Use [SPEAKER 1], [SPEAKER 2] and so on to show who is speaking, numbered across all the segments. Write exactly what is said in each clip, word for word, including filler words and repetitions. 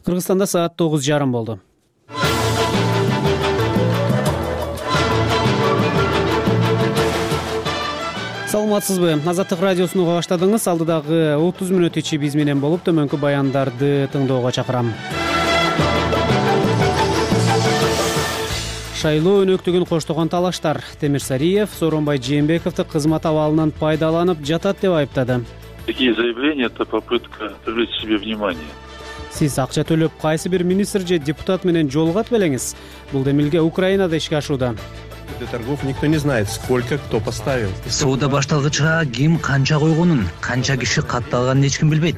[SPEAKER 1] Кыргызстанда саат тогуз жарым болду. Саламатсызбы? Азаттык радиосун уга баштадыңыз. Алдыдагы отуз мүнөт ичи биз менен болуп, төмөнкү баяндарды тыңоого чакырам. Шайлоо өнөктүгүн коштогон талаштар. Темирсариев Сооронбай Жээнбековду кызмат абалынан пайдаланып жатат деп айыптады.
[SPEAKER 2] Такие заявления — это попытка привлечь к себе внимание.
[SPEAKER 1] Сиз акча төлөп кайсы бир министр же депутат менен жолугат белеңиз. Бул демилге Украинада ишке ашууда.
[SPEAKER 3] Для торгов никто не знает, сколько кто поставил.
[SPEAKER 4] Соода башталгыча ким канча койгонун, канча киши катталганын эч ким билбейт.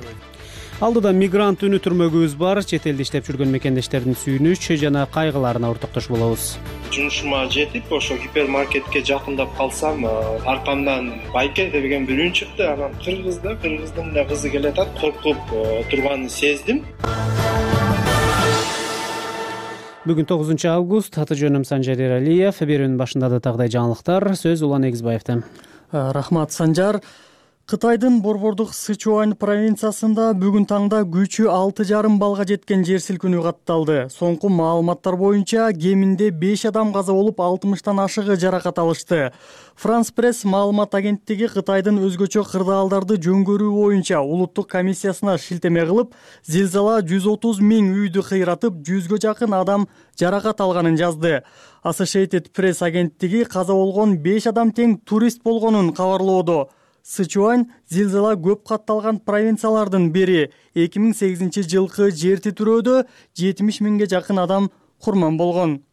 [SPEAKER 1] Алдыда мигрант үнү түрмөгүбүз бар. Чет элде иштеп жүргөн мекендештердин сүйүнүч жана кайгыларына ортоктош болобуз.
[SPEAKER 5] Жумушума жетип, ошо гипермаркетке жакындап калсам, аркамдан байке деген бирөө чыкты. Анан кыргыз да, кыргыздын да кызы келатат, коркуп турганын сездим.
[SPEAKER 1] Бүгүн тогузунчу август, аты жөнүм Санжар Эралиев. Берүүнүн башында да тагыдай жаңылыктар. Сөз Улан Эгизбаевден.
[SPEAKER 6] Рахмат, Санжар. Кытайдын борбордук Сычуань провинциясында бүгүн таңда күчү алты жарым балга жеткен жер силкинүү катталды. Соңку маалыматтар боюнча кеминде беш адам каза болуп, алтымыштан ашыгы жаракат алышты. Франс Пресс маалымат агенттиги Кытайдын өзгөчө кырдаалдарды жөнгөрүү боюнча улуттук комиссиясына шилтеме кылып, зилзала жүз отуз миң үйдү кыйратып, жүзгө жакын адам жаракат алганын жазды. Associated Press агенттиги каза болгон беш адам тең турист болгонун кабарлоодо. Сычуань зилзала көп катталган провинциялардын бири. эки миң сегизинчи жылкы жер титирөөдө жетимиш миңге жакын адам курман болгон.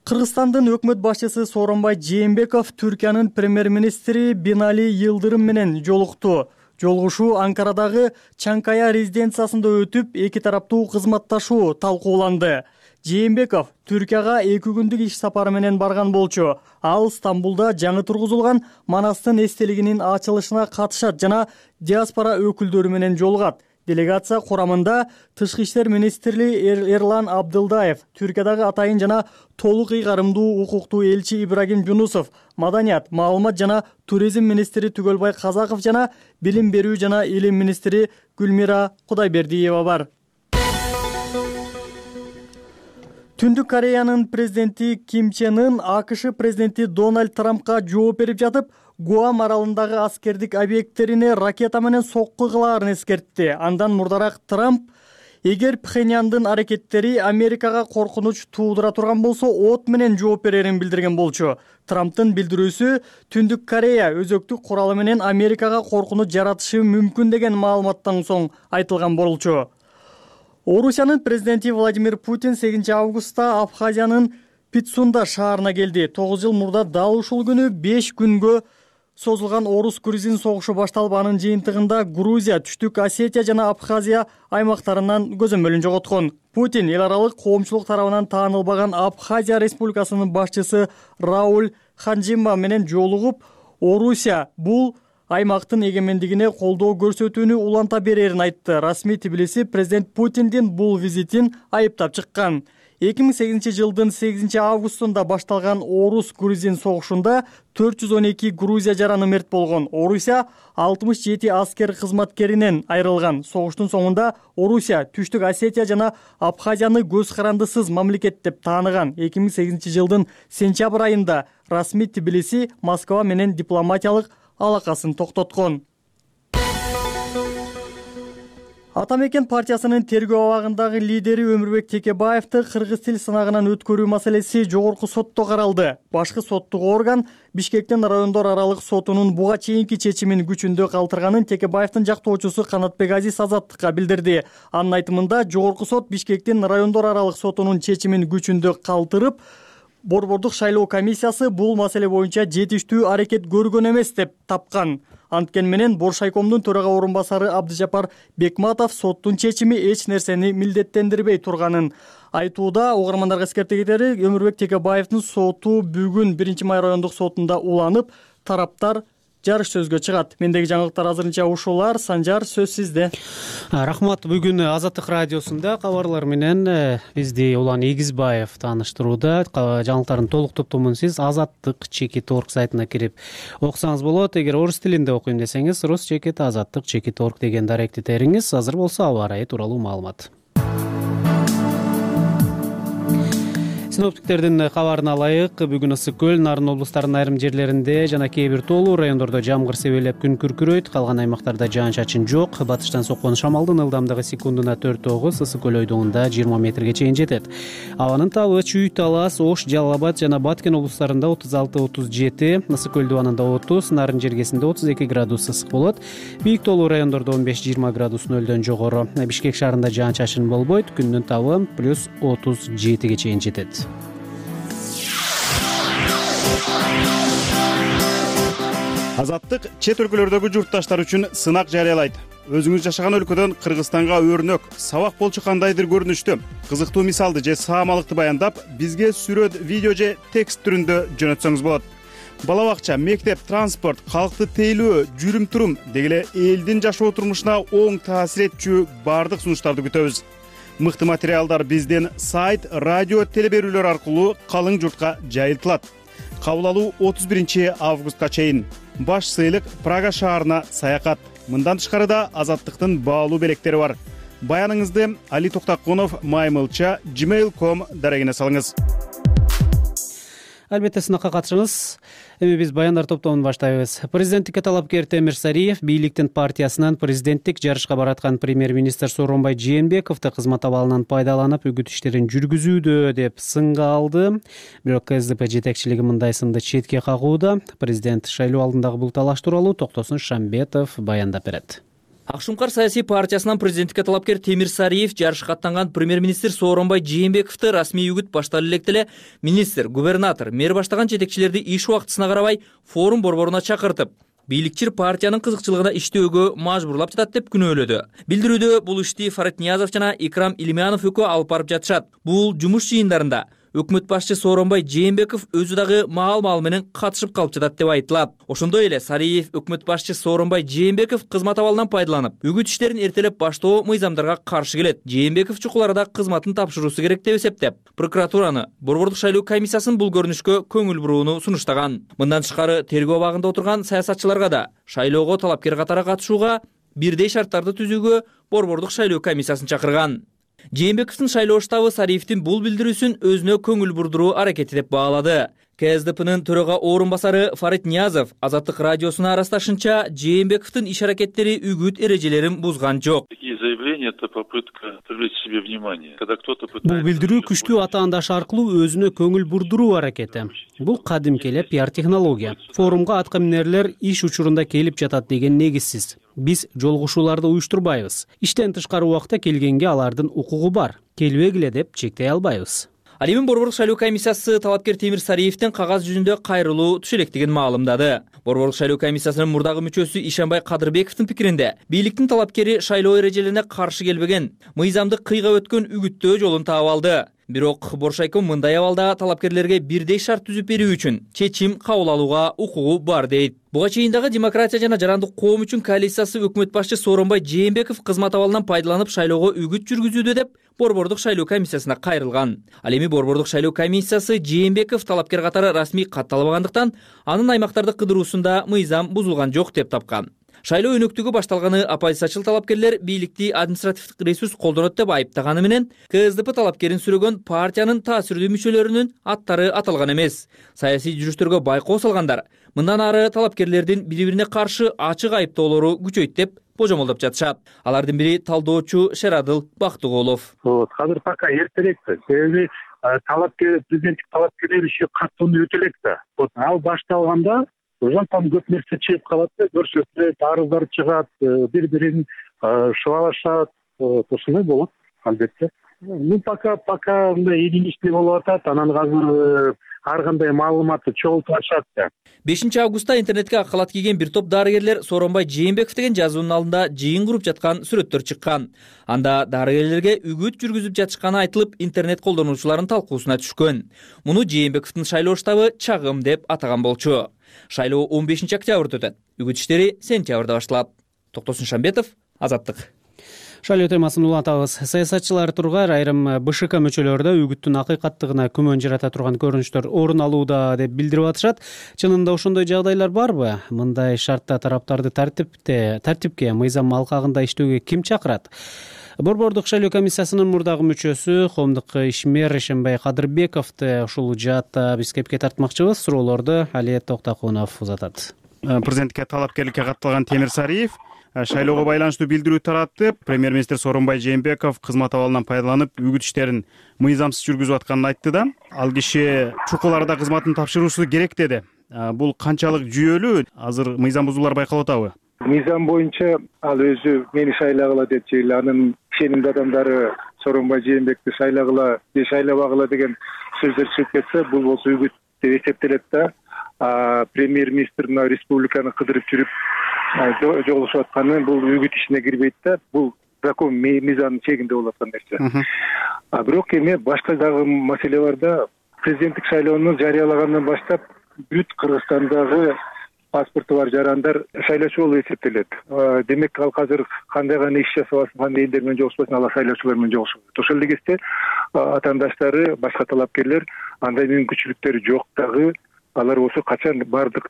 [SPEAKER 6] Кыргызстандын өкмөт башчысы Сооронбай Жээнбеков Түркиянын премьер-министри Бинали Йылдырым менен жолукту. Жолугушуу Анкарадагы Чанкая резиденциясында өтүп, эки тараптуу кызматташуу талкууланды. Жээнбеков Түркияга эки күндүк иш сапары менен барган болчу. Ал Стамбулда жаңы тургузулган Манастын эстелигинин ачылышына катышат жана диаспора өкүлдөрү менен жолугат. Делегация курамында Тышкы иштер министри Эрлан Абдылдаев, Түркиядагы атайын жана толук ыйгарымдуу укуктуу элчи Ибрагим Жунусов, маданият, маалымат жана туризм министри Түгөлбай Казаков жана билим берүү жана илим министри Гүлмира Кудайбердиева бар. Түндүк Кореянын президенти Ким Чен Ын АКШ президенти Дональд Трампка жооп берип жатып, Гуам аралындагы аскердик объекттерине ракета менен сокку кылаарын эскертти. Андан мурдараак Трамп, эгер Пхеньяндын аракеттери Америкага коркунуч туудура турган болсо, от менен жооп берерин билдирген болчу. Трамптын билдирүүсү Түндүк Корея өзөктүк куралы менен Америкага коркунуч жаратышы мүмкүн деген маалыматтан соң айтылган болчу. Орусиянын президенти Владимир Путин сегизинчи августта Абхазиянын Питсунда шаарына келди. тогуз жыл мурда дал ушул күнү беш күнгө созулган орус-грузин согушу башталып, анын жыйынтыгында Грузия, Түштүк Осетия жана Абхазия аймактарынан көзөмөлүн жоготкон. Путин эл аралык коомчулук тарабынан таанылбаган Абхазия республикасынын башчысы Рауль Ханжимба менен жолугуп, Орусия бул аймактын эгемендигине колдоо көрсөтүүнү уланта берерин айтты. Расмий Тбилиси президент Путиндин бул визитин айыптап чыккан. эки миң сегизинчи жылдын сегизинчи августунда башталган орус-грузин согушунда төрт жүз он эки Грузия жараны мерт болгон. Орусия алтымыш жети аскер кызматкеринен айрылган. Согуштун соңунда Орусия Түштүк Осетия жана Абхазияны көз карандысыз мамлекет деп тааныган. эки миң сегизинчи жылдын сентябрь айында расмий Тбилиси Москва менен дипломатиялык алакасын токтоткон. Ата мекен партиясынын тергөө абагындагы лидери Өмүрбек Текебаевди кыргыз тил сынагынан өткөрүү маселеси жогорку сотто каралды. Башкы соттук орган Бишкектин райондор аралык сотунун буга чейинки чечимин күчүндө калтырганын Текебаевдин жактоочусу Канатбек Азиз Азаттыкка билдирди. Анын айтымында, жогорку сот Бишкектин райондор аралык сотунун чечимин күчүндө калтырып, борбордук шайлоо комиссиясы бул маселе боюнча жетиштүү аракет көргөн эмес деп тапкан. Анткени менен Боршайкомдун төрага орун басары Абдыжапар Бекматов соттун чечими эч нерсени милдеттендирбей турганын айтууда. Угармандарга эскерте кетери, Өмүрбек Текебаевдин соту бүгүн биринчи май райондук сотунда уланып, тараптар жарыш сөзгө чыгат. Мендеги жаңылыктар азырынча ушулар. Санжар, сөз сизде.
[SPEAKER 1] Рахмат. Бүгүн Азаттык радиосунда кабарлар менен бизди Улан Эгизбаев тааныштырууда. Жаңылыктардын толук топтомун сиз азаттык чекит точка орг сайтына кирип окусаңыз болот. Эгер орус тилинде окуйм десеңиз, рус чекит азаттык чекит точка орг деген даректи териңиз. Азыр болсо аба ырайы тууралуу маалымат. Синоптиктердин кабарын алайык. Бүгүн ысык көл, Нарын облустарынын айрым жерлеринде жана кээ бир тоолуу райондордо жамгыр себелеп күн күркүрөйт. Калган аймактарда жаан-чачын жок. Батыштан соккон шамалдын ылдамдыгы секундуна төрт тогуз, ысык көл ойдугунда жыйырма метрге чейин жетет. Абанын табы Чүй, Талас, Ош, Жалал Абад жана Баткен облустарында отуз алты отуз жети, ысык көл дубанында отуз, Нарын жергесинде отуз эки градус ысык болот. Бийик тоолуу райондордо он беш жыйырма градус нөлдөн жогору. Бишкек шаарында жаан-чачын болбойт. Күндүн табы плюс отуз жетиге чейин жетет.
[SPEAKER 7] Азаттык чет өлкөлөрдөгү журтташтар үчүн сынак жарыялайт. Өзүңүз жашаган өлкөдөн Кыргызстанга өрнөк, сабак болчу кандайдыр көрүнүштү, кызыктуу мисалды же саамалыкты баяндап, бизге сүрөт, видео же текст түрүндө жөнөтсөңүз болот. Бала бакча, мектеп, транспорт, калкты тейлөө, жүрүм-турум деги эле элдин жашоо турмушуна оң таасир этчү бардык сунуштарды күтөбүз. Мыкты материалдар биздин сайт, радио, телеберүүлөр аркылуу калың журтка жайылтылат. Кабыл алуу отуз биринчи августка чейин. Баш сыйлык Прага шаарына саякат. Мындан тышкары да Азаттыктын баалуу белектери бар. Баяныңызды Али Токтакунов маймылча gmail точка ком дарегине салыңыз.
[SPEAKER 1] Албетте сынакка катышыңыз. Эми биз баяндар топтомун баштайбыз. Президенттикке талапкер Темир Сариев бийликтин партиясынан президенттик жарышка бараткан премьер-министр Сооронбай Жээнбековду кызмат абалынан пайдаланып үгүт иштерин жүргүзүүдө деп сынга алды. Бирок КСДП жетекчилиги мындай сынды четке кагууда. Президент шайлоо алдындагы бул талаш тууралуу Токтосун Шамбетов баяндап берет.
[SPEAKER 8] Ак Шумкар саясий партиясынан президенттикке талапкер Темир Сариев жарышка аттанган премьер-министр Сооронбай Жээнбековду расмий үгүт башталып элек деле министр, губернатор, мэр баштаган жетекчилерди иш убактысына карабай форум борборуна чакыртып, бийликчил партиянын кызыкчылыгына иштөөгө мажбурлап жатат деп күнөөлөдү. Билдирүүдө бул ишти Фарид Ниязов жана Икрам Илимянов экөө алып барып жатышат. Бул жумуш жыйындарында өкмөт башчы Сооронбай Жээнбеков өзү дагы маал-маал менен катышып калып жатат деп айтылат. Ошондой эле Сариев өкмөт башчы Сооронбай Жээнбеков кызмат абалынан пайдаланып, үгүт иштерин эртелеп баштоо мыйзамдарга каршы келет. Жээнбеков чукул арада кызматын тапшыруусу керек деп эсептеп, прокуратураны, борбордук шайлоо комиссиясын бул көрүнүшкө көңүл бурууну сунуштаган. Мындан тышкары тергөө абагында отурган саясатчыларга да шайлоого талапкер катары катышууга, бирдей шарттарды түзүүгө борбордук шайлоо комиссиясын чакырган. Жээнбековдун шайлоо штабы Сариевдин бул билдирүүсүн өзүнө көңүл бурдуруу аракети деп баалады. КСДПнын төрага орун басары Фарид Ниязов Азаттык радиосуна арасташынча, Жээнбековдун иш аракеттери үгүт эрежелерин бузган жок.
[SPEAKER 2] Такие заявления — это попытка привлечь к себе внимание. Когда кто-то
[SPEAKER 1] Бул
[SPEAKER 2] пытается...
[SPEAKER 1] билдирүү күчтүү атаандаш аркылуу өзүнө көңүл бурдуруу аракети. Бул кадимки эле пиар технология. Форумга атка минерлер иш учурунда келип жатат деген негизсиз. Биз жолугушууларды уюштурбайбыз. Иштен тышкары убакта келгенге алардын укугу бар. Келбегиле деп чектей албайбыз. Ал эми борбордук шайлоо комиссиясы талапкер Темир Сариевдин кагаз жүзүндө кайрылуу түшө электигин маалымдады. Борбордук шайлоо комиссиясынын мурдагы мүчөсү Ишанбай Кадырбековдун пикиринде, бийликтин талапкери шайлоо эрежелерине каршы келбеген, мыйзамды кыйга өткөн үгүттөө жолун таап алды. Бирок Боршайком мындай абалда талапкерлерге бирдей шарт түзүп берүү үчүн чечим кабыл алууга укугу бар дейт. Буга чейин дагы Демократия жана Жарандык коом үчүн коалициясы өкмөт башчы Сооронбай Жээнбеков кызмат абалынан пайдаланып шайлоого үгүт жүргүзүүдө деп борбордук шайлоо комиссиясына кайрылган. Ал эми борбордук шайлоо комиссиясы Жээнбеков талапкер катары расмий катталбагандыктан анын аймактарды кыдыруусунда мыйзам бузулган жок деп тапкан. Шайлоо өнөктүгү башталганы оппозициячыл талапкерлер бийликти административдик ресурс колдонот деп айыптаганы менен КСДП талапкерин сүрөгөн партиянын таасирдүү мүчөлөрүнүн аттары аталган эмес. Саясий жүрүштөргө байкоо салгандар мындан ары талапкерлердин бири-бирине каршы ачык айыптоолору күчөйт деп божомолдоп жатышат. Алардын бири талдоочу Шерадыл Бактыгулов.
[SPEAKER 9] Азыр пока эртерээк, себеби талапкер президенттик талапкерлер иши каттууну өтө элек да. Ал башталганда ошондон көп нерсе чыгып калат да, көрсөтүлөт, арыздар чыгат, бири-бирин шыбалашат, ошондой болот албетте. Ну пока пока мындай ийгиликтүү болуп атат, анан азыр ар кандай маалыматты чогултуп атышат да.
[SPEAKER 8] бешинчи августта интернетке ак калат кийген бир топ дарыгерлер Сооронбай Жээнбеков деген жазуунун алдында жыйын куруп жаткан сүрөттөр чыккан. Анда дарыгерлерге үгүт жүргүзүп жатышканы айтылып, интернет колдонуучулардын талкуусуна түшкөн. Муну Жээнбековдун шайлоо штабы чагым деп атаган болчу. Шайлоо он бешинчи октябрда өтөт. Үгүт иштери сентябрда башталат. Токтосун Шамбетов, Азаттык.
[SPEAKER 1] Шайлоо темасын улантабыз. Саясатчылар тургар айрым БШК мүчөлөрүдө үгүттүн акыйкаттыгына күмөн жарата турган көрүнүштөр орун алууда деп билдирип атышат. Чынында ошондой жагдайлар барбы? Мындай шартта тараптарды тартипте, тартипке, мыйзам алкагында иштөөгө ким чакырат? Борбордук шайлоо комиссиясынын мурдагы мүчөсү коомдук ишмер Ишенбай Кадырбековду ушул жаатта биз кепке тартмакчыбыз. Суроолорду Алиет Токтокунов узатат.
[SPEAKER 7] Президентке талапкерликке катталган Темирсариев шайлоого байланыштуу билдирүү таратып, премьер-министр Сооронбай Жээнбеков кызмат абалынан пайдаланып үгүт иштерин мыйзамсыз жүргүзүп атканын айтты да. Ал киши чукул арада кызматын тапшыруусу керек деди. Бул канчалык жүйөлүү? Азыр мыйзам бузуулар байкалып атабы?
[SPEAKER 9] Мыйзам боюнча ал өзү мени шайлагыла деп же анын ишенимдүү адамдары Сооронбай Жээнбекти шайлагыла же шайлабагыла деген сөздөр чыгып кетсе, бул болсо үгүт деп эсептелет да. Премьер-министр мына республиканы кыдырып жүрүп жолугушуп атканы бул үгүт ишине кирбейт да. Бул закон мыйзамдын чегинде болуп аткан нерсе. А бирок эми башка дагы маселе бар да. Президенттик шайлоону жарыялагандан баштап бүт Кыргызстандагы паспорту бар жарандар шайлоочу болуп эсептелет. Демек ал азыр кандай гана иш жасабасын, кандай элдер менен жолугушпасын, алар шайлоочулар менен жолугушат. Ошол эле кезде атаандаштары, башка талапкерлер андай мүмкүнчүлүктөрү жок дагы. Алар болсо качан бардык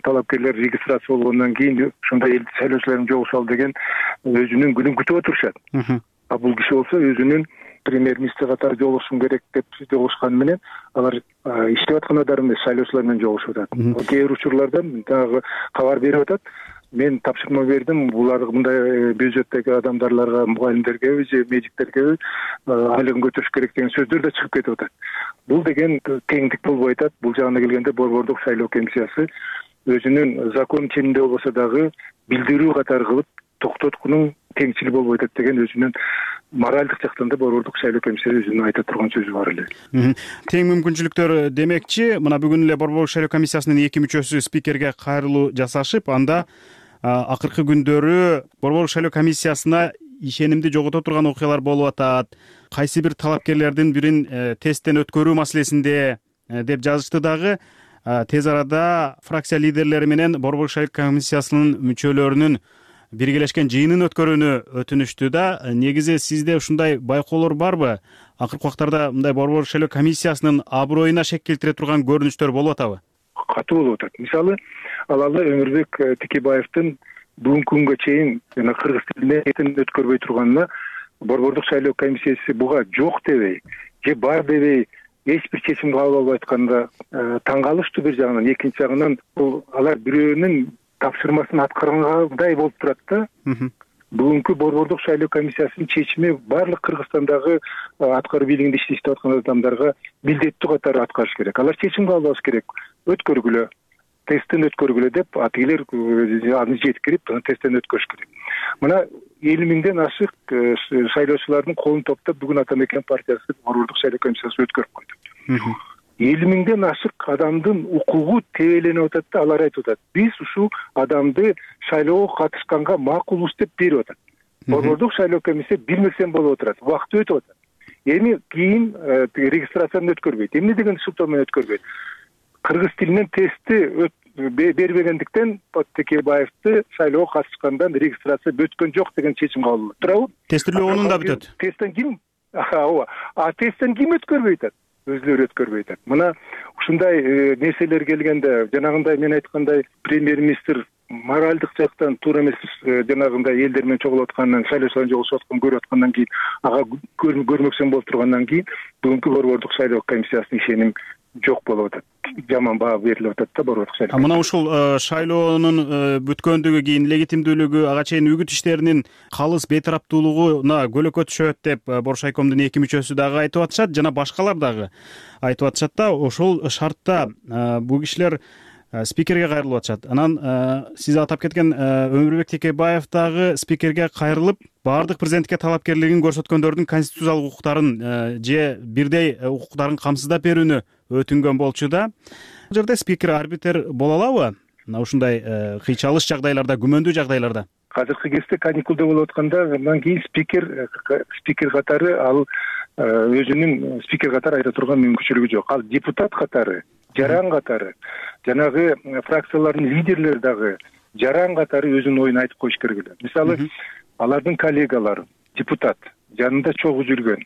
[SPEAKER 9] талапкерлер регистрация болгондон кийин ушундай эл шайлоочулар менен жолугушалы деген өзүнүн күнүн күтүп отурушат. А бул киши болсо өзүнүн премьер-министр катары жолугушушум керек деп жолугушканы менен алар иштеп аткан адам эмес, шайлоочулар менен жолугушуп атат. Кээ бир учурларда дагы кабар берип атат. Мен тапшырма бердим, булар мындай бюджеттеги адамдарларга, мугалимдерге же медиктерге айлыгын көтөрүш керек деген сөздөр да чыгып кетип атат. Бул деген теңдик болбой атат. Бул жагына келгенде борбордук шайлоо комиссиясы өзүнүн закон ченинде болбосо дагы билдирүү катары кылып токтоткунун теңчил болбой атат деген өзүнүн моралдык жактан да борбордук шайлоо комиссиясы өзүнүн айта турган сөзү бар эле.
[SPEAKER 7] Тең мүмкүнчүлүктөр демекчи, мына бүгүн эле борбордук шайлоо комиссиясынын эки мүчөсү спикерге кайрылуу жасашып, анда акыркы күндөрү борбордук шайлоо комиссиясына ишенимди жогото турган окуялар болуп атат. Кайсы бир талапкерлердин бирин тесттен өткөрүү маселесинде деп жазышты дагы. Тез арада фракция лидерлери менен борбордук шайлоо комиссиясынын мүчөлөрүнүн биргелешкен жыйынын өткөрүүнү өтүнүштү да. Негизи сизде ушундай байкоолор барбы? Акыркы убактарда мындай борбордук шайлоо комиссиясынын аброюна шек келтире турган көрүнүштөр болуп атабы?
[SPEAKER 9] Катуу болуп атат. Мисалы, алалы Өмүрбек Текебаевдин бүгүнкү күнгө чейин жана кыргыз тилине этин өткөрбөй турганына борбордук шайлоо комиссиясы буга жок дебей же бар дебей эч бир чечим кабыл албай атканда таң калыштуу бир жагынан. Экинчи жагынан бул алар бирөөнүн тапшырмасын аткаргандай болуп турат да. Бүгүнкү борбордук шайлоо комиссиясынын чечими баардык Кыргызстандагы аткаруу бийлигинде иштеп аткан адамдарга милдеттүү катары аткарыш керек. Алар чечим кабыл алыш керек. Өткөргүлө, тесттен өткөргүлө деп атигилер аны жеткирип, тесттен өткөрүш керек. Мына элүү миңден ашык шайлоочулардын колун топтоп бүгүн Ата Мекен партиясы борбордук шайлоо комиссиясы өткөрүп койду. элүү миңден ашык адамдын укугу тебеленип атат да, алар айтып атат. Биз ушул адамды шайлоого катышканга макулбуз деп берип атат. Борбордук шайлоо комиссия билмесем болуп отурат. Убакыт өтүп атат. Эми кийин регистрацияны өткөрбөйт. Эмне деген шылтоо менен өткөрбөйт? Кыргыз тилинен тестти бербегендиктен Текебаевди шайлоого катышкандан регистрация өткөн жок деген чечим кабыл болот. Туурабы?
[SPEAKER 7] Тестилөө онунда бүтөт.
[SPEAKER 9] Тесттен ким? Ооба. А тесттен ким өткөрбөй атат? Өзүлөрү өткөрбөй атат. Мына ушундай нерселер келгенде, жанагындай мен айткандай премьер-министр моралдык жактан туура эмес жанагындай элдер менен чогулуп аткандан, шайлоочулар жолугушуп аткан көрүп аткандан кийин, ага көрмөксөн болуп тургандан кийин бүгүнкү борбордук шайлоо комиссиясынын ишеним жок болуп атат. Жаман баа берилип атат да борбордук шайлоо.
[SPEAKER 7] Мына ушул шайлоонун бүткөндүгү кийин легитимдүүлүгү, ага чейин үгүт иштеринин калыс бейтараптуулугуна көлөкө түшөт деп Боршайкомдун эки мүчөсү дагы айтып атышат, жана башкалар дагы айтып атышат да. Ошол шартта бул кишилер спикерге кайрылып атышат. Анан сиз атап кеткен Өмүрбек Текебаев дагы спикерге кайрылып, баардык президенттикке талапкерлигин көрсөткөндөрдүн конституциялык укуктарын же бирдей укуктарын камсыздап берүүнү өтүнгөн болчу да. Бул жерде спикер арбитр боло алабы? Мына ушундай кыйчалыш жагдайларда, күмөндүү жагдайларда.
[SPEAKER 9] Азыркы кезде каникулда болуп атканда, андан кийин спикер спикер катары ал өзүнүн спикер катары айта турган мүмкүнчүлүгү жок. Ал депутат катары, жаран катары, жанагы фракциялардын лидерлери дагы жаран катары өзүнүн оюн айтып коюш керек эле. Мисалы, алардын коллегалары, депутат, жанында чогуу жүргөн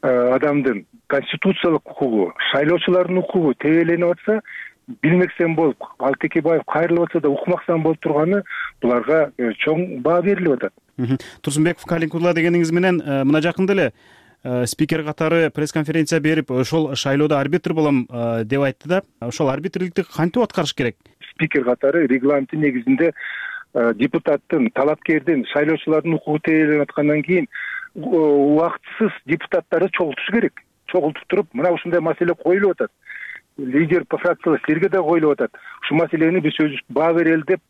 [SPEAKER 9] адамдын конституциялык укугу, шайлоочулардын укугу тебеленип атса, билмексен болуп, Алтекебаев кайрылып атса да укмаксан болуп турганы буларга чоң баа берилип атат.
[SPEAKER 7] Турсунбеков Калинкулла дегениңиз менен мына жакында эле спикер катары пресс-конференция берип, ошол шайлоодо арбитр болом деп айтты да. Ошол арбитрликти кантип аткарыш керек?
[SPEAKER 9] Спикер катары регламенттин негизинде депутаттын, талапкердин, шайлоочулардын укугу тейленип аткандан кийин убактысыз депутаттарды чогултуш керек. Чогултуп туруп, мына ушундай маселе коюлуп атат. Лидер по фракциялар силерге да коюлуп атат. Ушул маселени биз өзүбүз баа берели деп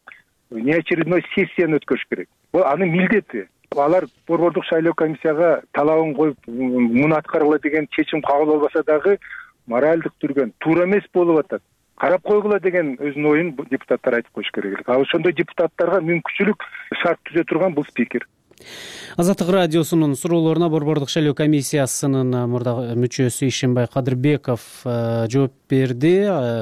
[SPEAKER 9] неочередной сессияны өткөрүш керек. Бул анын милдети. Алар борбордук шайлоо комиссияга талабын коюп, муну аткаргыла деген чечим кабыл болбаса дагы моралдык түргөн туура эмес болуп атат. Карап койгула деген өзүнүн оюн депутаттар айтып коюш керек. А ошондой депутаттарга мүмкүнчүлүк шарт түзө турган бул спикер.
[SPEAKER 1] Азаттык радиосунун суроолоруна борбордук шайлоо комиссиясынын мурдагы мүчөсү Ишенбай Кадырбеков жооп берди.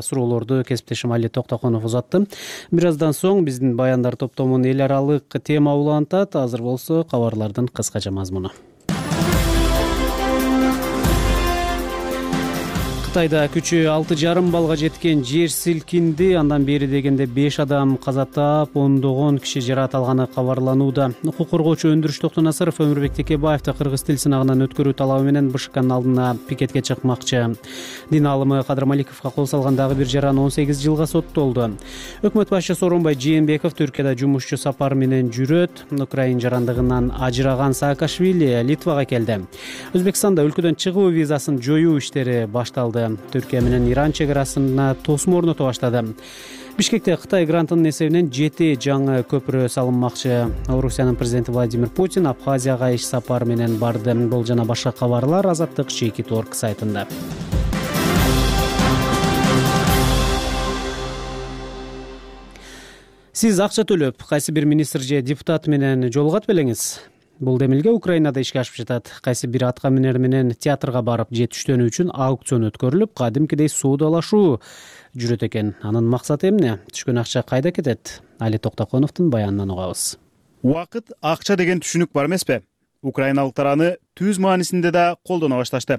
[SPEAKER 1] Суроолорду кесиптешим Али Токтоконов узатты. Бир аздан соң биздин баяндар топтомунун эл аралык тема улантат. Азыр болсо кабарлардын кыскача мазмуну. Кытайда күчү алты жарым балга жеткен жер силкинди. Андан бери дегенде беш адам каза таап, ондогон киши жаракат алганы кабарланууда. Укук коргоочу Өндүрүш Токтонасаров Өмүрбек Текебаевди кыргыз тил сынагынан өткөрүү талабы менен БШКнын алдына пикетке чыкмакчы. Дин аалымы Кадыр Маликовго кол салган дагы бир жаран он сегиз жылга соттолду. Өкмөт башчысы Сооронбай Жээнбеков Түркияда жумушчу сапар менен жүрөт. Украин жарандыгынан ажыраган Саакашвили Литвага келди. Өзбекстанда өлкөдөн чыгуу визасын жоюу иштери башталды. Түркия менен Иран чегарасына тосмо орното баштады. Бишкекте Кытай грантынын эсебинен жети жаңы көпүрө салынмакчы. Орусиянын президенти Владимир Путин Абхазияга иш сапар менен барды. Бул жана башка кабарлар Азаттык чеки торг сайтында. Сиз акча төлөп, кайсы бир министр же депутат менен жолугат белеңиз? Бул демилге Украинада ишке ашып жатат. Кайсы бир атка минер менен театрга барып же түштөнүү үчүн аукцион өткөрүлүп, кадимкидей соодалашуу жүрөт экен. Анын максаты эмне? Түшкөн акча кайда кетет? Али Токтоконовдун баянынан угабыз.
[SPEAKER 7] Убакыт акча деген түшүнүк бар эмеспи? Украиналыктар аны түз маанисинде да колдоно башташты.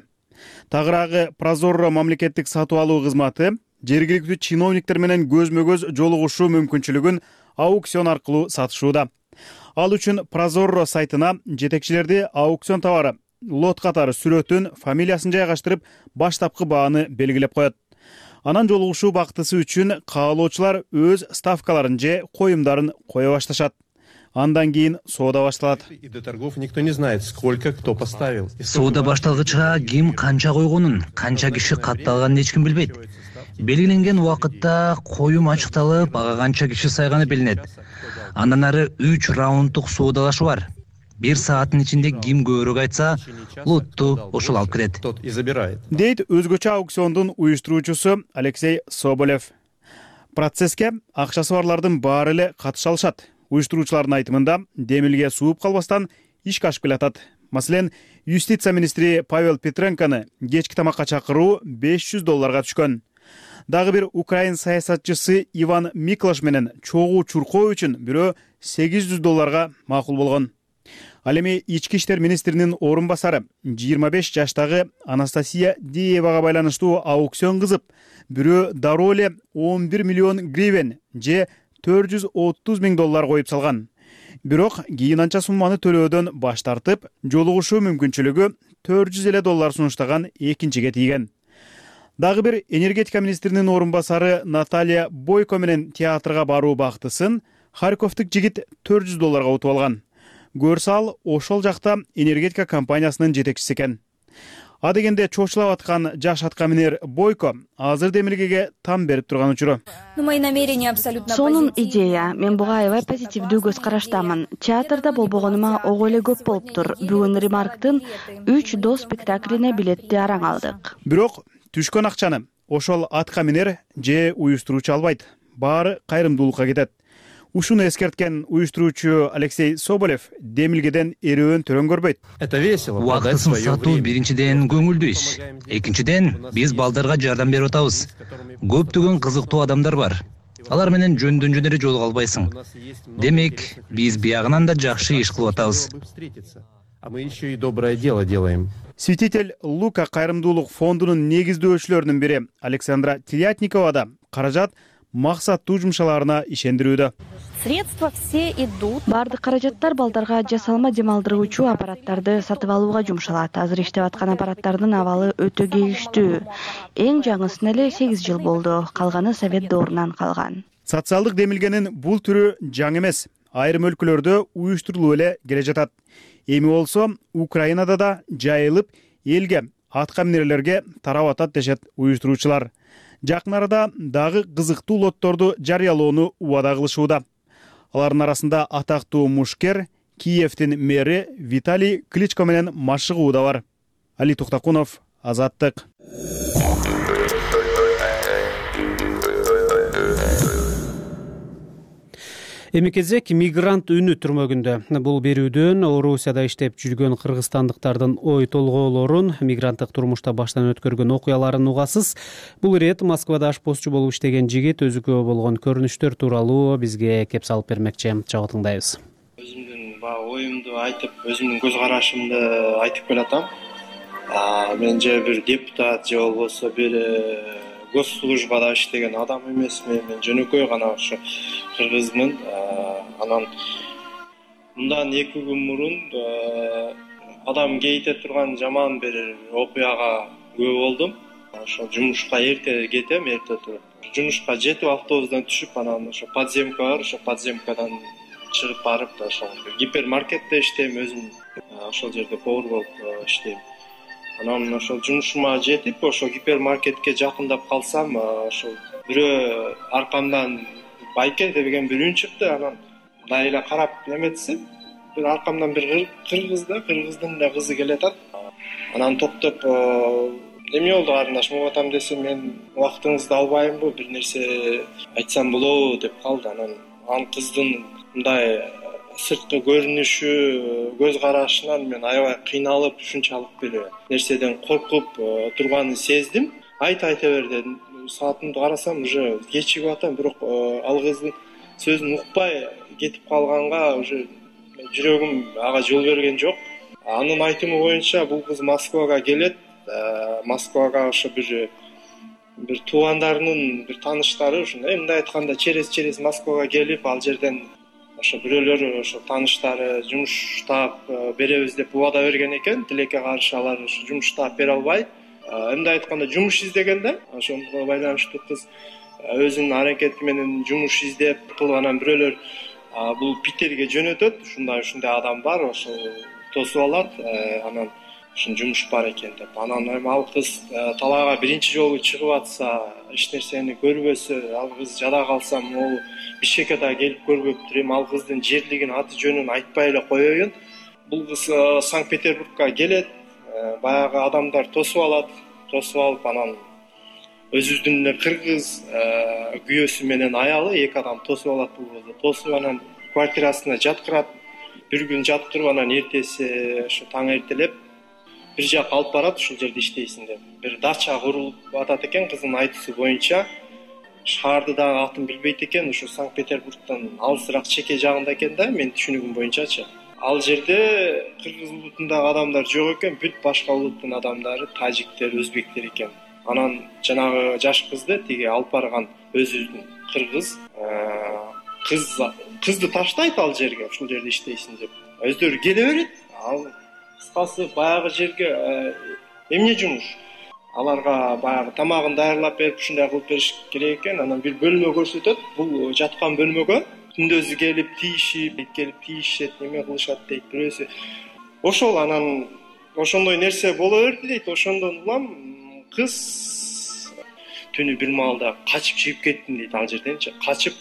[SPEAKER 7] Тагыраагы Прозорро мамлекеттик сатып алуу кызматы жергиликтүү чиновниктер менен көзмө-көз жолугушуу мүмкүнчүлүгүн аукцион аркылуу сатышууда. Ал үчүн Прозорро сайтына жетекчилерди аукцион товары, лот катары сүрөтүн, фамилиясын жайгаштырып, баштапкы бааны белгилеп коет. Анан жолугушуу бактысы үчүн каалоочулар өз ставкаларын же коюмдарын кое башташат. Андан кийин соода башталат.
[SPEAKER 3] И до торгов никто не знает, сколько кто поставил.
[SPEAKER 4] Соода башталгычка ким канча койгонун, канча киши катталганын эч ким билбейт. Белгиленген убакытта коюм ачыкталып, ага канча киши сайганы билинет. Андан ары үч раунддук соодалашуу бар. Бир сааттын ичинде ким көбүрөөк айтса, лотту ошол алып кирет.
[SPEAKER 3] Тот и забирает.
[SPEAKER 7] Дейт өзгөчө аукциондун уюштуруучусу Алексей Соболев. Процесске акчасы барлардын баары эле катыша алышат. Уюштуруучулардын айтымында демилге сууп калбастан ишке ашып келатат. Маселен, юстиция министри Павел Петренконы кечки тамакка чакыруу беш жүз долларга түшкөн. Дагы бир украин саясатчысы Иван Миклаш менен чогуу чуркоо үчүн бирөө сегиз жүз долларга макул болгон. Ал эми ички иштер министринин орун басары жыйырма беш жаштагы Анастасия Диевага байланыштуу аукцион кызып, бирөө дароо эле он бир миллион гривен же төрт жүз отуз миң доллар коюп салган. Бирок кийин анча сумманы төлөөдөн баш тартып, жолугушуу мүмкүнчүлүгү төрт жүз элүү доллар сунуштаган экинчиге тийген. Дагы бир энергетика министринин орун басары Наталья Бойко менен театрга баруу бактысын Харьковдук жигит төрт жүз долларга утуп алган. Көрсө ал ошол жакта энергетика компаниясынын жетекчиси экен. А дегенде чочулап аткан жаш атка минер Бойко азыр демилгеге там берип турган учуру.
[SPEAKER 10] Сонун идея. Мен буга аябай позитивдүү көз караштамын. Театрда болбогонума ого эле көп болуптур. Бүгүн Ремарктын үч до спектаклине билетти араң алдык.
[SPEAKER 7] Бирок түшкөн акчаны ошол атка минер же уюштуруучу албайт. Баары кайрымдуулукка кетет. Ушуну эскерткен уюштуруучу Алексей Соболев демилгеден эрөөн төрөн көрбөйт.
[SPEAKER 3] Это весело.
[SPEAKER 4] Убактысын сатуу биринчиден көңүлдүү иш. Экинчиден биз балдарга жардам берип атабыз. Көптөгөн кызыктуу адамдар бар. Алар менен жөндөн жөн эле жолуга албайсың. Демек, биз биягынан да жакшы иш кылып атабыз.
[SPEAKER 3] А мы еще и доброе дело делаем.
[SPEAKER 7] Святитель Лука кайрымдуулук фондунун негиздөөчүлөрүнүн бири Александра Телятникова да каражат максаттуу жумшаларына ишендирүүдө.
[SPEAKER 10] Средства все идут. Бардык каражаттар балдарга жасалма дем алдыргычуу аппараттарды сатып алууга жумшалат. Азыр иштеп аткан аппараттардын абалы өтө кейиштүү. Эң жаңысына эле сегиз жыл болду. Калганы совет доорунан калган.
[SPEAKER 7] Социалдык демилгенин бул түрү жаңы эмес. Айрым өлкөлөрдө уюштурулуп эле келе жатат. Эми болсо Украинада да жайылып, элге, атка минерлерге тарап атат дешет уюштуруучулар. Жакын арада дагы кызыктуу лотторду жарыялоону убада кылышууда. Алардын арасында атактуу мушкер, Киевдин мэри Виталий Кличко менен машыгуу да бар. Али Туктакунов, Азаттык.
[SPEAKER 1] Эми кезек мигрант үнү түрмөгүндө. Бул берүүдөн Орусияда иштеп жүргөн кыргызстандыктардын ой толгоолорун, мигранттык турмушта баштан өткөргөн окуяларын угасыз. Бул ирет Москвада ашпозчу болуп иштеген жигит өзүгө болгон көрүнүштөр тууралуу бизге кеп салып бермекчи. Чогуу тыңдайбыз.
[SPEAKER 5] Өзүмдүн баягы оюмду айтып, өзүмдүн көз карашымды айтып келатам. Мен же бир депутат же болбосо бир госслужбада иштеген адам эмесмин. Мен жөнөкөй гана ошо кыргызмын. Анан мындан эки күн мурун адам кейите турган жаман бир окуяга күбө болдум. Ошо жумушка эрте кетем, эрте туруп. Жумушка жетип автобустан түшүп, анан ошо подземка бар, ошо подземкадан чыгып барып, ошо гипермаркетте иштейм, өзүм ошол жерде повар болуп иштейм. Анан ошол жумушума жетип, ошо гипермаркетке жакындап калсам, ошо бирөө аркамдан Байке деген бир үн чыкты. Анан мындай эле карап эметсем, бир аркамдан бир кыргыз да, кыргыздын да кызы келатат. Анан токтоп, эме болду карындаш, могу атам десем, мен убактыңызды албаймынбы, бир нерсе айтсам болобу деп калды. Анан ал кыздын мындай сырткы көрүнүшү, көз карашынан мен аябай кыйналып, ушунчалык бир нерседен коркуп турганын сездим. Айт айта бер дедим. Саатымды карасам, уже кечигип атам, бирок ал кыздын сөзүн укпай кетип калганга уже жүрөгүм ага жол берген жок. Анын айтымы боюнча бул кыз Москвага келет. Москвага ошо бир бир туугандарынын бир тааныштары ушундай, мындай айтканда через через Москвага келип, ал жерден ошо бирөөлөр ошо тааныштары жумуш таап беребиз деп убада берген экен. Тилекке каршы алар ошо жумуш таап бере албай, мындай айтканда жумуш издеген да. Ошого байланыштуу кыз өзүнүн аракети менен жумуш издеп кылып, анан бирөөлөр бул Питерге жөнөтөт. Ушундай ушундай адам бар, ошо тосуп алат. Анан ушун жумуш бар экен деп. Анан эми ал кыз талаага биринчи жолу чыгып атса, эч нерсени көрбөсө, ал кыз жада калса, могу Бишкекке да келип көрбөптүр. Эми ал кыздын жерлигин, аты жөнүн айтпай эле коеюн. Бул кыз Санкт-Петербургка келет, баягы адамдар тосуп алат. Тосуп алып, анан өзүбүздүн эле кыргыз күйөөсү менен аялы эки адам тосуп алат бул кызды. Тосуп, анан квартирасына жаткырат. Бир күн жаткырып, анан эртеси ошо таң эртелеп бир жака алып барат, ушул жерде иштейсиң деп. Бир дача курулуп атат экен, кыздын айтуусу боюнча. Шаарды дагы атын билбейт экен, ошо Санкт-Петербургдон алысыраак чеке жагында экен да, менин түшүнүгүм боюнчачы. Ал жерде кыргыз улутундагы адамдар жок экен, бүт башка улуттун адамдары, тажиктер, өзбектер экен. Анан жанагы жаш кызды тиги алып барган өзүбүздүн кыргыз кыз кызды таштайт ал жерге, ушул жерде иштейсиң деп. Өздөрү келе берет. Ал кыскасы баягы жерге эмне жумуш? Аларга баягы тамагын даярлап берип, ушундай кылып бериш керек экен. Анан бир бөлмө көрсөтөт. Бул жаткан бөлмөгө күндөзү келип тийишип, келип тийишет, неме кылышат дейт бирөөсү. Ошол анан ошондой нерсе боло берди дейт. Ошондон улам кыз түнү бир маалда качып чыгып кеттим дейт ал жерденчи. Качып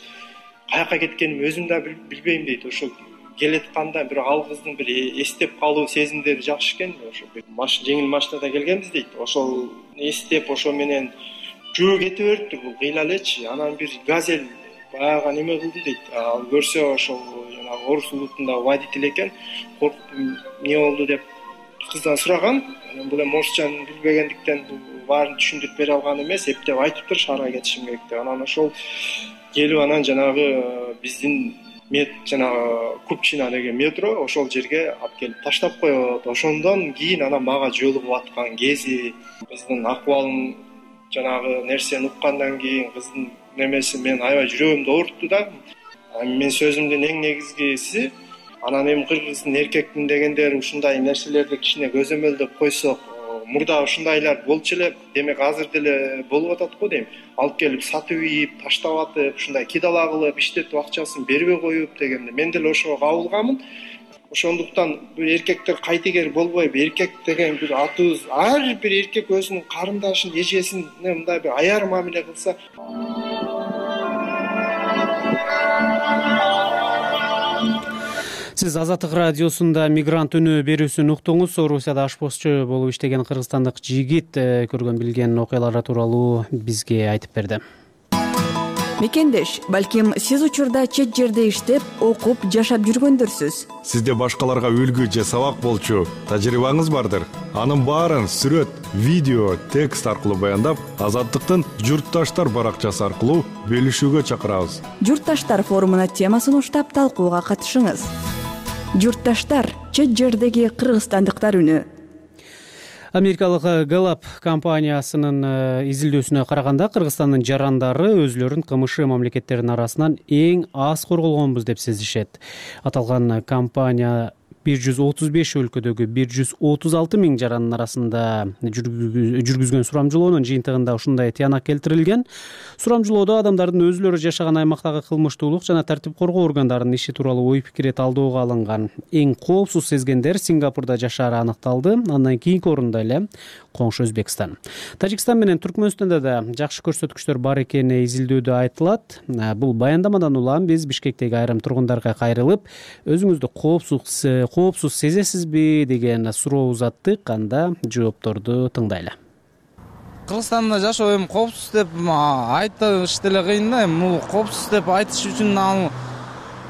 [SPEAKER 5] каяка кеткенимди өзүм да билбейм дейт. Ошол келетканда бирок ал кыздын бир эстеп калуу сезимдери жакшы экен. Ошо жеңил машинада келгенбиз дейт. Ошол эстеп ошо менен жөө кете бериптир бул кыйла элечи. Анан бир газель баягы неме кылды дейт. Ал көрсө ошол жанагы орус улутундагы водитель экен. Коркуп эмне болду деп кыздан сураган. Анан бул эми орусчаны билбегендиктен баарын түшүндүрүп бере алган эмес, эптеп айтыптыр шаарга кетишим керек деп. Анан ошол келип, анан жанагы биздин мет жанагы купчина деген метро ошол жерге алып келип таштап коет. Ошондон кийин анан мага жолугуп аткан кези кыздын акыбалын жанагы нерсени уккандан кийин кыздын немеси мен аябай жүрөгүмдү оорутtu да. Мен сөзүмдүн эң негизгиси анан эми кыргыздын эркектин дегендер ушундай нерселерди кичине көзөмөлдөп койсок, мурда ушундайлар болчу эле, демек азыр деле болуп атат го дейм. Алып келип сатып ийип, таштап атып, ушундай кидала кылып, иштетип акчасын бербей коюп дегенде мен деле ошого кабылганмын. Ошондуктан бир эркектер кайтегер болбойбу. Эркек деген бир атыбыз, ар бир эркек өзүнүн карындашын, эжесине мындай бир аяр мамиле кылса.
[SPEAKER 1] Сиз Азаттык радиосунда мигрант үнү берүүсүн уктуңуз. Орусияда ашпозчу болуп иштеген кыргызстандык жигит көргөн билген окуялары тууралуу бизге айтып берди.
[SPEAKER 11] Мекендеш, балким сиз учурда чет жерде иштеп, окуп, жашап жүргөндөрсүз.
[SPEAKER 12] Сизде башкаларга үлгү же сабак болчу тажрыйбаңыз бардыр. Анын баарын сүрөт, видео, текст аркылуу баяндап, Азаттыктын журтташтар баракчасы аркылуу бөлүшүүгө чакырабыз.
[SPEAKER 11] Журтташтар форумуна темасын уштап талкууга катышыңыз. Журтташтар — чет жердеги кыргызстандыктар үнү.
[SPEAKER 1] Америкалык Gallup компаниясынын изилдөөсүнө караганда Кыргызстандын жарандары өзүлөрүн кмш мамлекеттеринин арасынан эң аз корголгонбуз деп сезишет. Аталган компания бир жүз отуз беш өлкөдөгү бир жүз отуз алты миң жарандын арасында жүргүзгөн сурамжылоонун жыйынтыгында ушундай тыянак келтирилген. Сурамжылоодо адамдардын өзүлөрү жашаган аймактагы кылмыштуулук жана тартип коргоо органдарынын иши тууралуу ой пикири талдоого алынган. Эң коопсуз сезгендер Сингапурда жашаары аныкталды. Андан кийинки орунда эле коңшу Өзбекстан. Тажикстан менен Түркмөнстанда да жакшы көрсөткүчтөр бар экени изилдөөдө айтылат. Бул баяндамадан улам биз Бишкектеги айрым тургундарга кайрылып, өзүңүздү коопсуз коопсуз сезесизби деген суроо узаттык. Анда жоопторду тыңдайлы.
[SPEAKER 13] Кыргызстанда жашоо эми коопсуз деп айтыш деле кыйын да. Бул коопсуз деп айтыш үчүн ал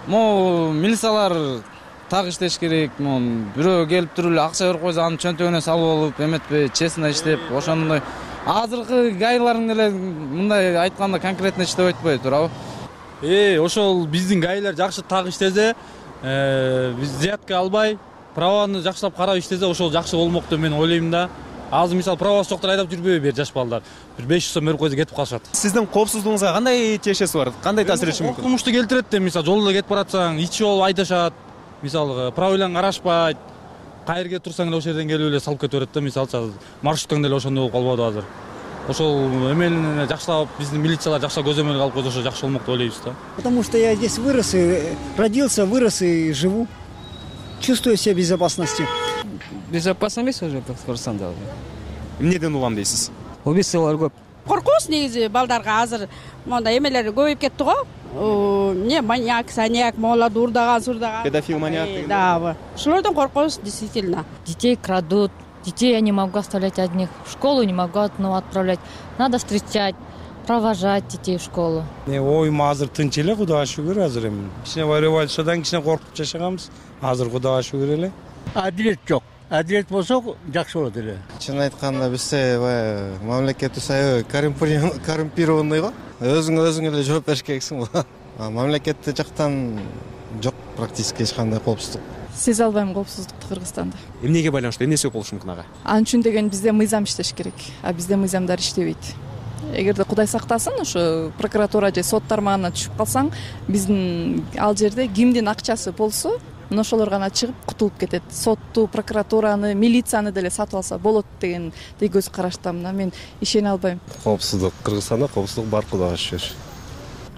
[SPEAKER 13] могу милициялар так иштеш керек. Могу бирөө келип туруп эле акча берип койсо анын чөнтөгүнө салып алып, эметпей честно иштеп, ошондой азыркы гайлардын эле мындай айтканда конкретно иштеп айтпайт туурабы?
[SPEAKER 14] Э, ошол биздин гайлар жакшы так иштесе, биз взятка албай, праваны жакшылап карап иштесе, ошол жакшы болмок деп мен ойлойм да. Азыр мисалы правасы жоктор айдап жүрбөйбү бер жаш балдар. Бир беш жүз сом берип койсо кетип калышат.
[SPEAKER 15] Сиздин коопсуздугуңузга кандай тиешеси бар? Кандай таасир этиши мүмкүн?
[SPEAKER 14] Окумушту келтирет деп, мисалы жолдо кетип баратсаң, ичип алып айдашат. Мисалы правиланы карашпайт. Кайер келип турсаң эле ошол жерден келип эле салып кете берет да. Мисалы маршруттан деле ошондой болуп калбады азыр. Ошол эмени жакшылап биздин милициялар жакшы көзөмөлгө алып койсо ошо жакшы болмок деп ойлойбуз да.
[SPEAKER 16] Потому что я здесь вырос и родился, вырос и живу. Чувствую себя в безопасности.
[SPEAKER 17] Безопасно эмес уже Кыргызстанда.
[SPEAKER 15] Эмнеден улам дейсиз?
[SPEAKER 17] Убийстволор көп.
[SPEAKER 18] Коркунуч негизи балдарга азыр мондай эмелер көбөйүп кетти го. Не маньяк, саньяк, молод урдаган, сурдаган.
[SPEAKER 15] Педофил, маньяк деген.
[SPEAKER 18] Да, ошолордон коркунуч действительно.
[SPEAKER 19] Детей крадут. Детей я не могу оставлять одних. В школу не могу одного отправлять. Надо встречать, провожать детей в школу.
[SPEAKER 20] Оюм азыр тынч эле, Кудайга шүгүр азыр эми. Кичине революциядан кичине коркуп жашаганбыз. Азыр Кудайга шүгүр эле.
[SPEAKER 21] Адилет жок. Адилет болсо жакшы болот эле.
[SPEAKER 22] Чын айтканда бизде баягы мамлекетибиз аябай коррумпированный го. Өзүң өзүң эле жооп бериш керексиң го. Мамлекетте жактан жок практически эч кандай коопсуздук.
[SPEAKER 23] Сезе албайм коопсуздукту Кыргызстанда.
[SPEAKER 15] Эмнеге байланыштуу? Эмне себеп болушу мүмкүн ага?
[SPEAKER 23] Анын үчүн деген бизде мыйзам иштеш керек, а бизде мыйзамдар иштебейт. Эгерде Кудай сактасын, ошо прокуратура же сот тармагына түшүп калсаң, биздин ал жерде кимдин акчасы болсо, мына ошолор гана чыгып кутулуп кетет. Сотту, прокуратураны, милицияны деле сатып алса болот деген көз караштамын. Мен ишене албайм.
[SPEAKER 24] Коопсуздук Кыргызстанда коопсуздук бар, Кудайга шүгүр.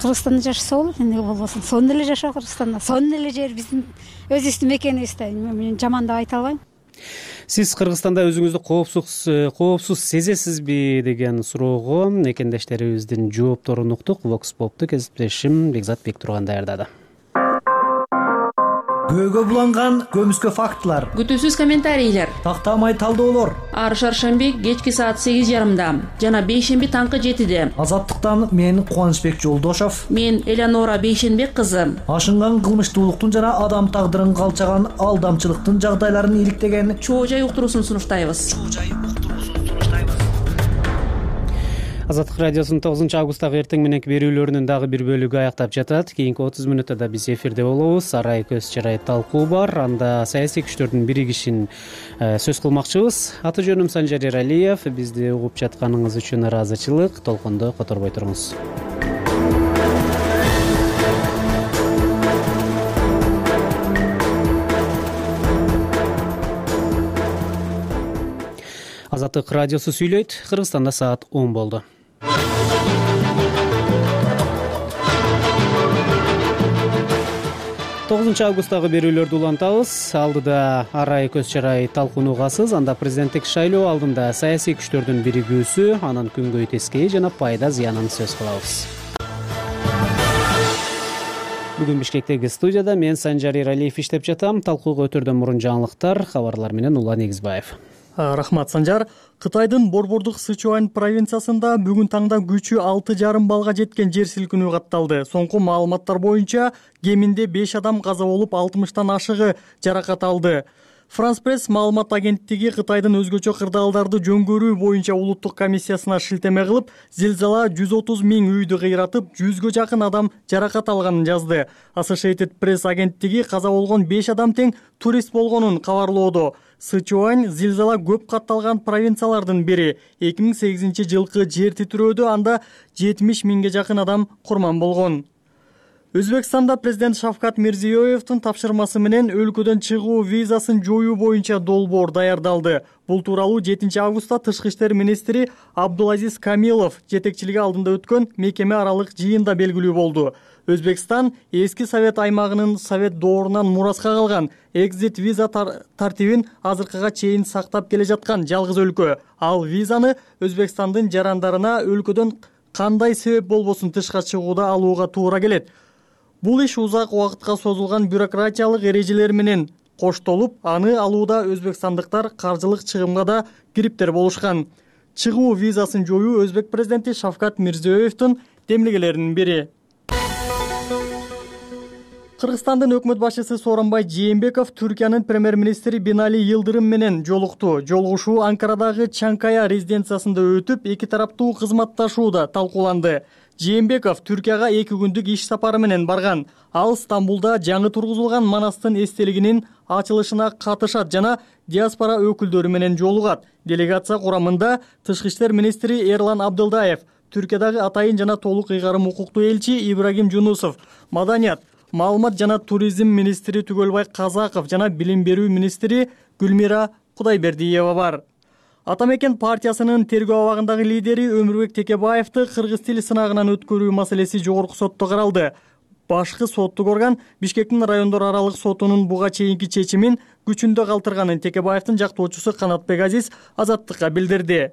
[SPEAKER 25] Кыргызстанда жашаса болот, эмне болбосун. Сонун эле жашоо Кыргызстанда. Сонун эле жер биздин өзүбүздүн мекенибиз да. Мен жаман деп айта албайм.
[SPEAKER 1] Сиз Кыргызстанда өзүңүздү коопсуз коопсуз сезесизби деген суроого экендештерибиздин жоопторун уктук. Vox Pop'ту кесиптешим Бекзат Бектурган даярдады.
[SPEAKER 26] Көөгө буланган көмүскө фактылар,
[SPEAKER 27] күтүүсүз комментарийлер,
[SPEAKER 26] тактамай талдоолор.
[SPEAKER 27] Ар шаршемби кечки саат сегиз жарымда жана бейшемби таңкы жетиде.
[SPEAKER 26] Азаттыктан мен Кубанычбек Жолдошов,
[SPEAKER 27] мен Элеонора Бейшенбек кызы.
[SPEAKER 26] Ашынган кылмыштуулуктун жана адам тагдырын калчаган алдамчылыктын жагдайларын иликтеген
[SPEAKER 27] чоо жай уктуруусун сунуштайбыз.
[SPEAKER 1] Азаттык радиосунун тогузунчу августтагы эртең мененки берүүлөрүнүн дагы бир бөлүгү аяктап жатат. Кийинки отуз мүнөттө биз эфирде болобуз. Арай көз чарай талкуу бар. Анда саясий күчтөрдүн биригишин сөз кылмакчыбыз. Аты жөнүм Санжар Эралиев. Бизди угуп жатканыңыз үчүн ыраазычылык. Толкондо которбой туруңуз. Азаттык радиосу сүйлөйт. Кыргызстанда саат он болду. тогузунчу августтагы берүүлөрдү улантабыз. Алдыда Арай көз чарай талкууну угасыз. Анда президенттик шайлоо алдында саясий күчтөрдүн биригүүсү, анын күнгөй тескейи жана пайда зыянын сөз кылабыз. Бүгүн Бишкектеги студияда мен Санжар Эралиев иштеп жатам. Талкууга өтөрдөн мурун жаңылыктар, кабарлар менен Улан Эгизбаев.
[SPEAKER 2] Рахмат, Санжар. Кытайдын борбордук Сычуань провинциясында бүгүн таңда күчү алты жарым балга жеткен жер силкинүү катталды. Соңку маалыматтар боюнча кеминде беш адам каза болуп, алтымыштан ашыгы жаракат алды. Франс Пресс маалымат агенттиги Кытайдын өзгөчө кырдаалдарды жөнгөрүү боюнча улуттук комиссиясына шилтеме кылып, зилзала жүз отуз миң үйдү кыйратып, жүзгө жакын адам жаракат алганын жазды. Associated Press агенттиги каза болгон беш адам тең турист болгонун кабарлоодо. Сычуань зилзала көп катталган провинциялардын бири. эки миң сегизинчи жылкы жер титирөөдө анда жетимиш миңге жакын адам курман болгон. Өзбекстанда президент Шавкат Мирзиёевдин тапшырмасы менен өлкөдөн чыгуу визасын жоюу боюнча долбоор даярдалды. Бул тууралуу жетинчи августта Тышкы иштер министри Абдулазиз Камилов жетекчилиги алдында өткөн мекеме аралык жыйында белгилүү болду. Өзбекстан эски совет аймагынын совет доорунан мураска калган экзит виза тар тартибин азыркыга чейин сактап келе жаткан жалгыз өлкө. Ал визаны Өзбекстандын жарандарына өлкөдөн кандай себеп болбосун тышка чыгууда алууга туура келет. Бул иш узак убакытка созулган бюрократиялык эрежелер менен коштолуп, аны алууда өзбекстандыктар каржылык чыгымга да кириптер болушкан. Чыгуу визасын жоюу Өзбек президенти Шавкат Мирзиёевдин демилгелеринин бири. Кыргызстандын өкмөт башчысы Сооронбай Жээнбеков Түркиянын премьер-министри Бинали Йылдырым менен жолукту. Жолугушуу Анкарадагы Чанкая резиденциясында өтүп, эки тараптуу кызматташууда талкууланды. Жээнбеков Түркияга эки күндүк иш сапары менен барган. Ал Стамбулда жаңы тургузулган Манастын эстелигинин ачылышына катышат жана диаспора өкүлдөрү менен жолугат. Делегация курамында Тышкы иштер министри Эрлан Абдылдаев, Түркиядагы атайын жана толук ыйгарым укуктуу элчи Ибрагим Жунусов, маданият, маалымат жана туризм министри Түгөлбай Казаков жана билим берүү министри Гүлмира Кудайбердиева бар. Атамекен партиясынын тергөө абагындагы лидери Өмүрбек Текебаевди кыргыз тил сынагынан өткөрүү маселеси жогорку сотто каралды. Башкы соттук орган Бишкектин райондор аралык сотунун буга чейинки чечимин күчүндө калтырганын Текебаевдин жактоочусу Канатбек Азиз Азаттыкка билдирди.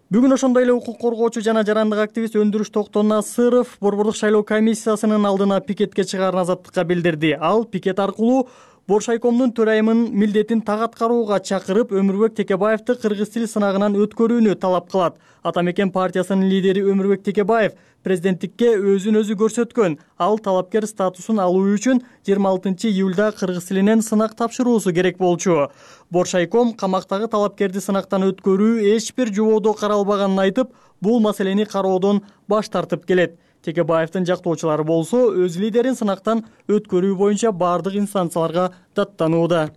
[SPEAKER 2] Бүгүн ошондой эле укук коргоочу жана жарандык активист Өндүрүш Токтон Насыров борбордук шайлоо комиссиясынын алдына пикетке чыгаарын Азаттыкка билдирди. Ал пикет аркылуу Боршайкомдун төрайымынын милдетин так аткарууга чакырып, Өмүрбек Текебаевди кыргыз тил сынагынан өткөрүүнү талап кылат. Атамекен партиясынын лидери Өмүрбек Текебаев президенттикке өзүн өзү көрсөткөн. Ал талапкер статусун алуу үчүн жыйырма алтынчы июлда кыргыз тилинен сынак тапшыруусу керек болчу. Боршайком камактагы талапкерди сынактан өткөрүү эч бир жободо каралбаганын айтып, бул маселени кароодон баш тартып келет. Текебаевдин жактоочулары болсо өз лидерин сынактан өткөрүү боюнча бардык инстанцияларга даттанууда.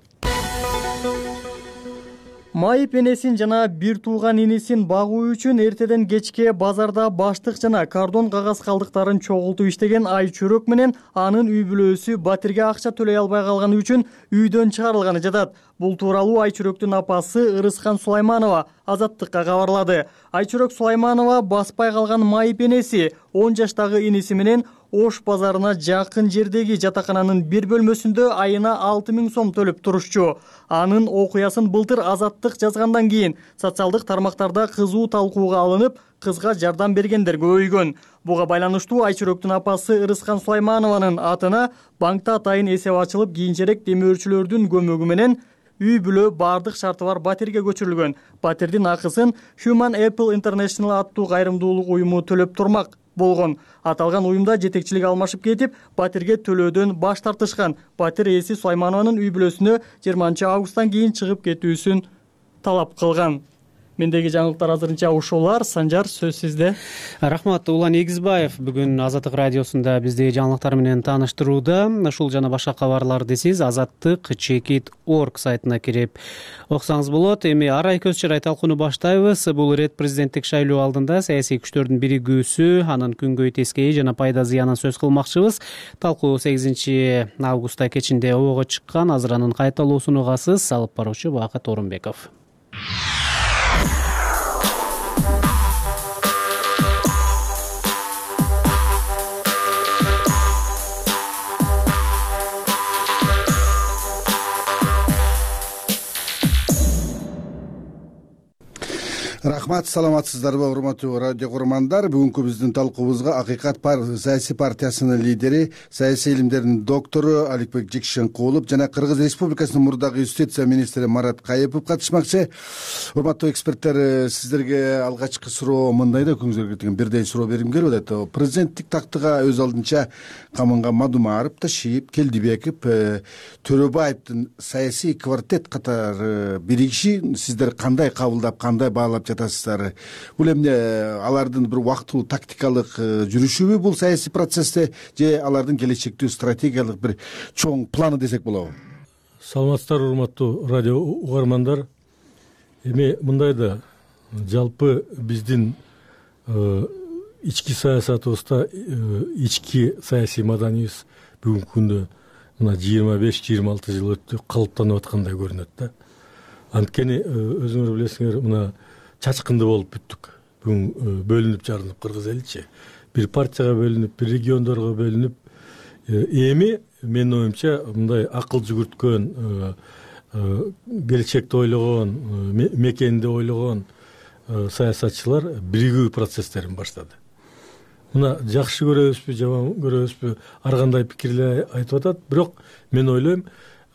[SPEAKER 2] Майып энесин жана бир тууган инисин багуу үчүн эртеден кечке базарда баштык жана кардон кагаз калдыктарын чогултуп иштеген Айчүрөк менен анын үй бүлөсү Батирге акча төлөй албай калганы үчүн үйдөн чыгарылганы жатат. Бул тууралуу Айчүрөктүн апасы Ырыскан Сулайманова Азаттыкка кабарлады. Айчүрөк Сулайманова баспай калган майып энеси он жаштагы иниси менен Ош базарына жакын жердеги жатакананын бир бөлмөсүндө айына алты миң сом төлөп турушчу. Анын окуясын былтыр Азаттык жазгандан кийин социалдык тармактарда кызуу талкууга алынып, кызга жардам бергендер көбөйгөн. Буга байланыштуу Айчүрөктүн апасы Ырыскан Сулайманованын атына банкта атайын эсеп ачылып, кийинчерээк демөөрчүлөрдүн көмөгү менен үй бүлө бардык шарты бар Батирге көчүрүлгөн. Батирдин акысын Human Apple International аттуу кайрымдуулук уюму төлөп турмак болгон. Аталган уюмда жетекчилик алмашып кетип, Батирге төлөөдөн баш тартышкан. Батир ээси Сулайманованын үй бүлөсүнө жыйырманчы августтан кийин чыгып кетүүсүн талап кылган. Мендеги жаңылыктар азырынча ушулар. Санжар, сөз сизде.
[SPEAKER 1] Рахмат. Улан Эгизбаев бүгүн Азаттык радиосунда биздеги жаңылыктар менен тааныштырууда. Ушул жана башка кабарларды сиз азаттык чекит орг сайтына кирип окусаңыз болот. Эми арай көз чырай талкууну баштайбыз. Бул ирет президенттик шайлоо алдында саясий күчтөрдүн биригүүсү, анын күнгөй тескейи жана пайда зыянын сөз кылмакчыбыз. Талкуу сегизинчи августта кечинде обого чыккан. Азыр анын кайталоосун угасыз. Алып баруучу Бакыт Орунбеков.
[SPEAKER 3] Рахмат, саламатсыздарбы урматтуу радио көрөрмандар. Бүгүнкү биздин талкуубузга Акыйкат саясий партиясынын лидери, саясий илимдердин доктору Аликбек Жекшенкулов жана Кыргыз Республикасынын мурдагы юстиция министри Марат Кайыпов катышмакчы. Урматтуу эксперттер, сиздерге алгачкы суроо мындай да, көңүлүңүзгө кеткен бирдей суроо бергим келип атат. Президенттик тактыга өз алдынча камынга Мадумаров, Ташиев, Келдибеков, Төрөбаевдин саясий квартет катары биригиши сиздер кандай кабылдап, кандай баалап жатасыздар? Бул эмне алардын бир убактылуу тактикалык жүрүшүбү бул саясий процессте, же алардын келечектүү стратегиялык бир чоң планы десек болобу?
[SPEAKER 20] Саламатсыздар урматтуу радио угармандар. Эми мындай да, жалпы биздин ички саясатыбызда ички саясий маданиябыз бүгүнкү күндө мына жыйырма беш жыйырма алты жыл өтүп калыптанып аткандай көрүнөт да. Анткени өзүңөр билесиңер, мына чачкынды болуп бүттүк. Бүгүн бөлүнүп жарынып кыргыз эличи. Бир партияга бөлүнүп, бир региондорго бөлүнүп, эми менин оюмча мындай акыл жүгүрткөн, келечекти ойлогон, мекенди ойлогон саясатчылар биригүү процесстерин баштады. Мына жакшы көрөбүзбү, жаман көрөбүзбү, ар кандай пикирлер айтып атат, бирок мен ойлойм,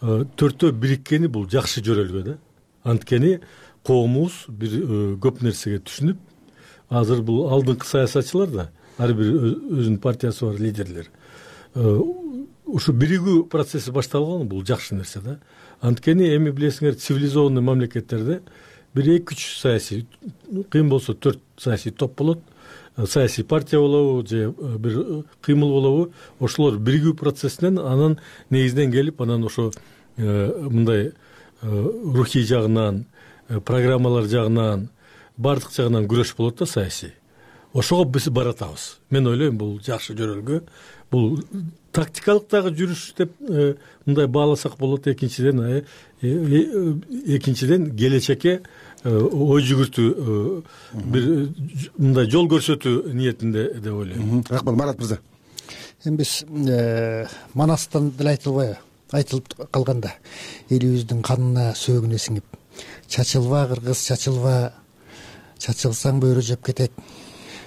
[SPEAKER 20] төртөө бириккени бул жакшы жөрөлгө да. Анткени коомубуз бир көп нерсеге түшүнүп, азыр бул алдыңкы саясатчылар да, ар бир өзүнүн партиясы бар лидерлер. Ушу биригүү процесси башталган, бул жакшы нерсе да. Анткени эми билесиңер, цивилизованный мамлекеттерде бир эки үч саясий, кыйын болсо төрт саясий топ болот. Саясий партия болобу же бир кыймыл болобу, ошолор биригүү процессинен, анын негизинен келип, анан ошо мындай рухий жагынан, программалар жагынан, бардык жагынан күрөш болот да саясий. Ошого биз баратабыз. Мен ойлойм, бул жакшы жөрөлгө. Бул тактикалык дагы жүрүш деп мындай бааласак болот. Экинчиден, экинчиден келечекке ой жүгүртүү, бир мындай жол көрсөтүү ниетинде деп ойлойм.
[SPEAKER 3] Рахмат, Марат мырза.
[SPEAKER 4] Эми биз Манастан деле айтылбайбы? Айтылып калганда, элибиздин канына сөөгүнө сиңип, чачылба кыргыз, чачылба, чачылсаң бөрү жеп кетет,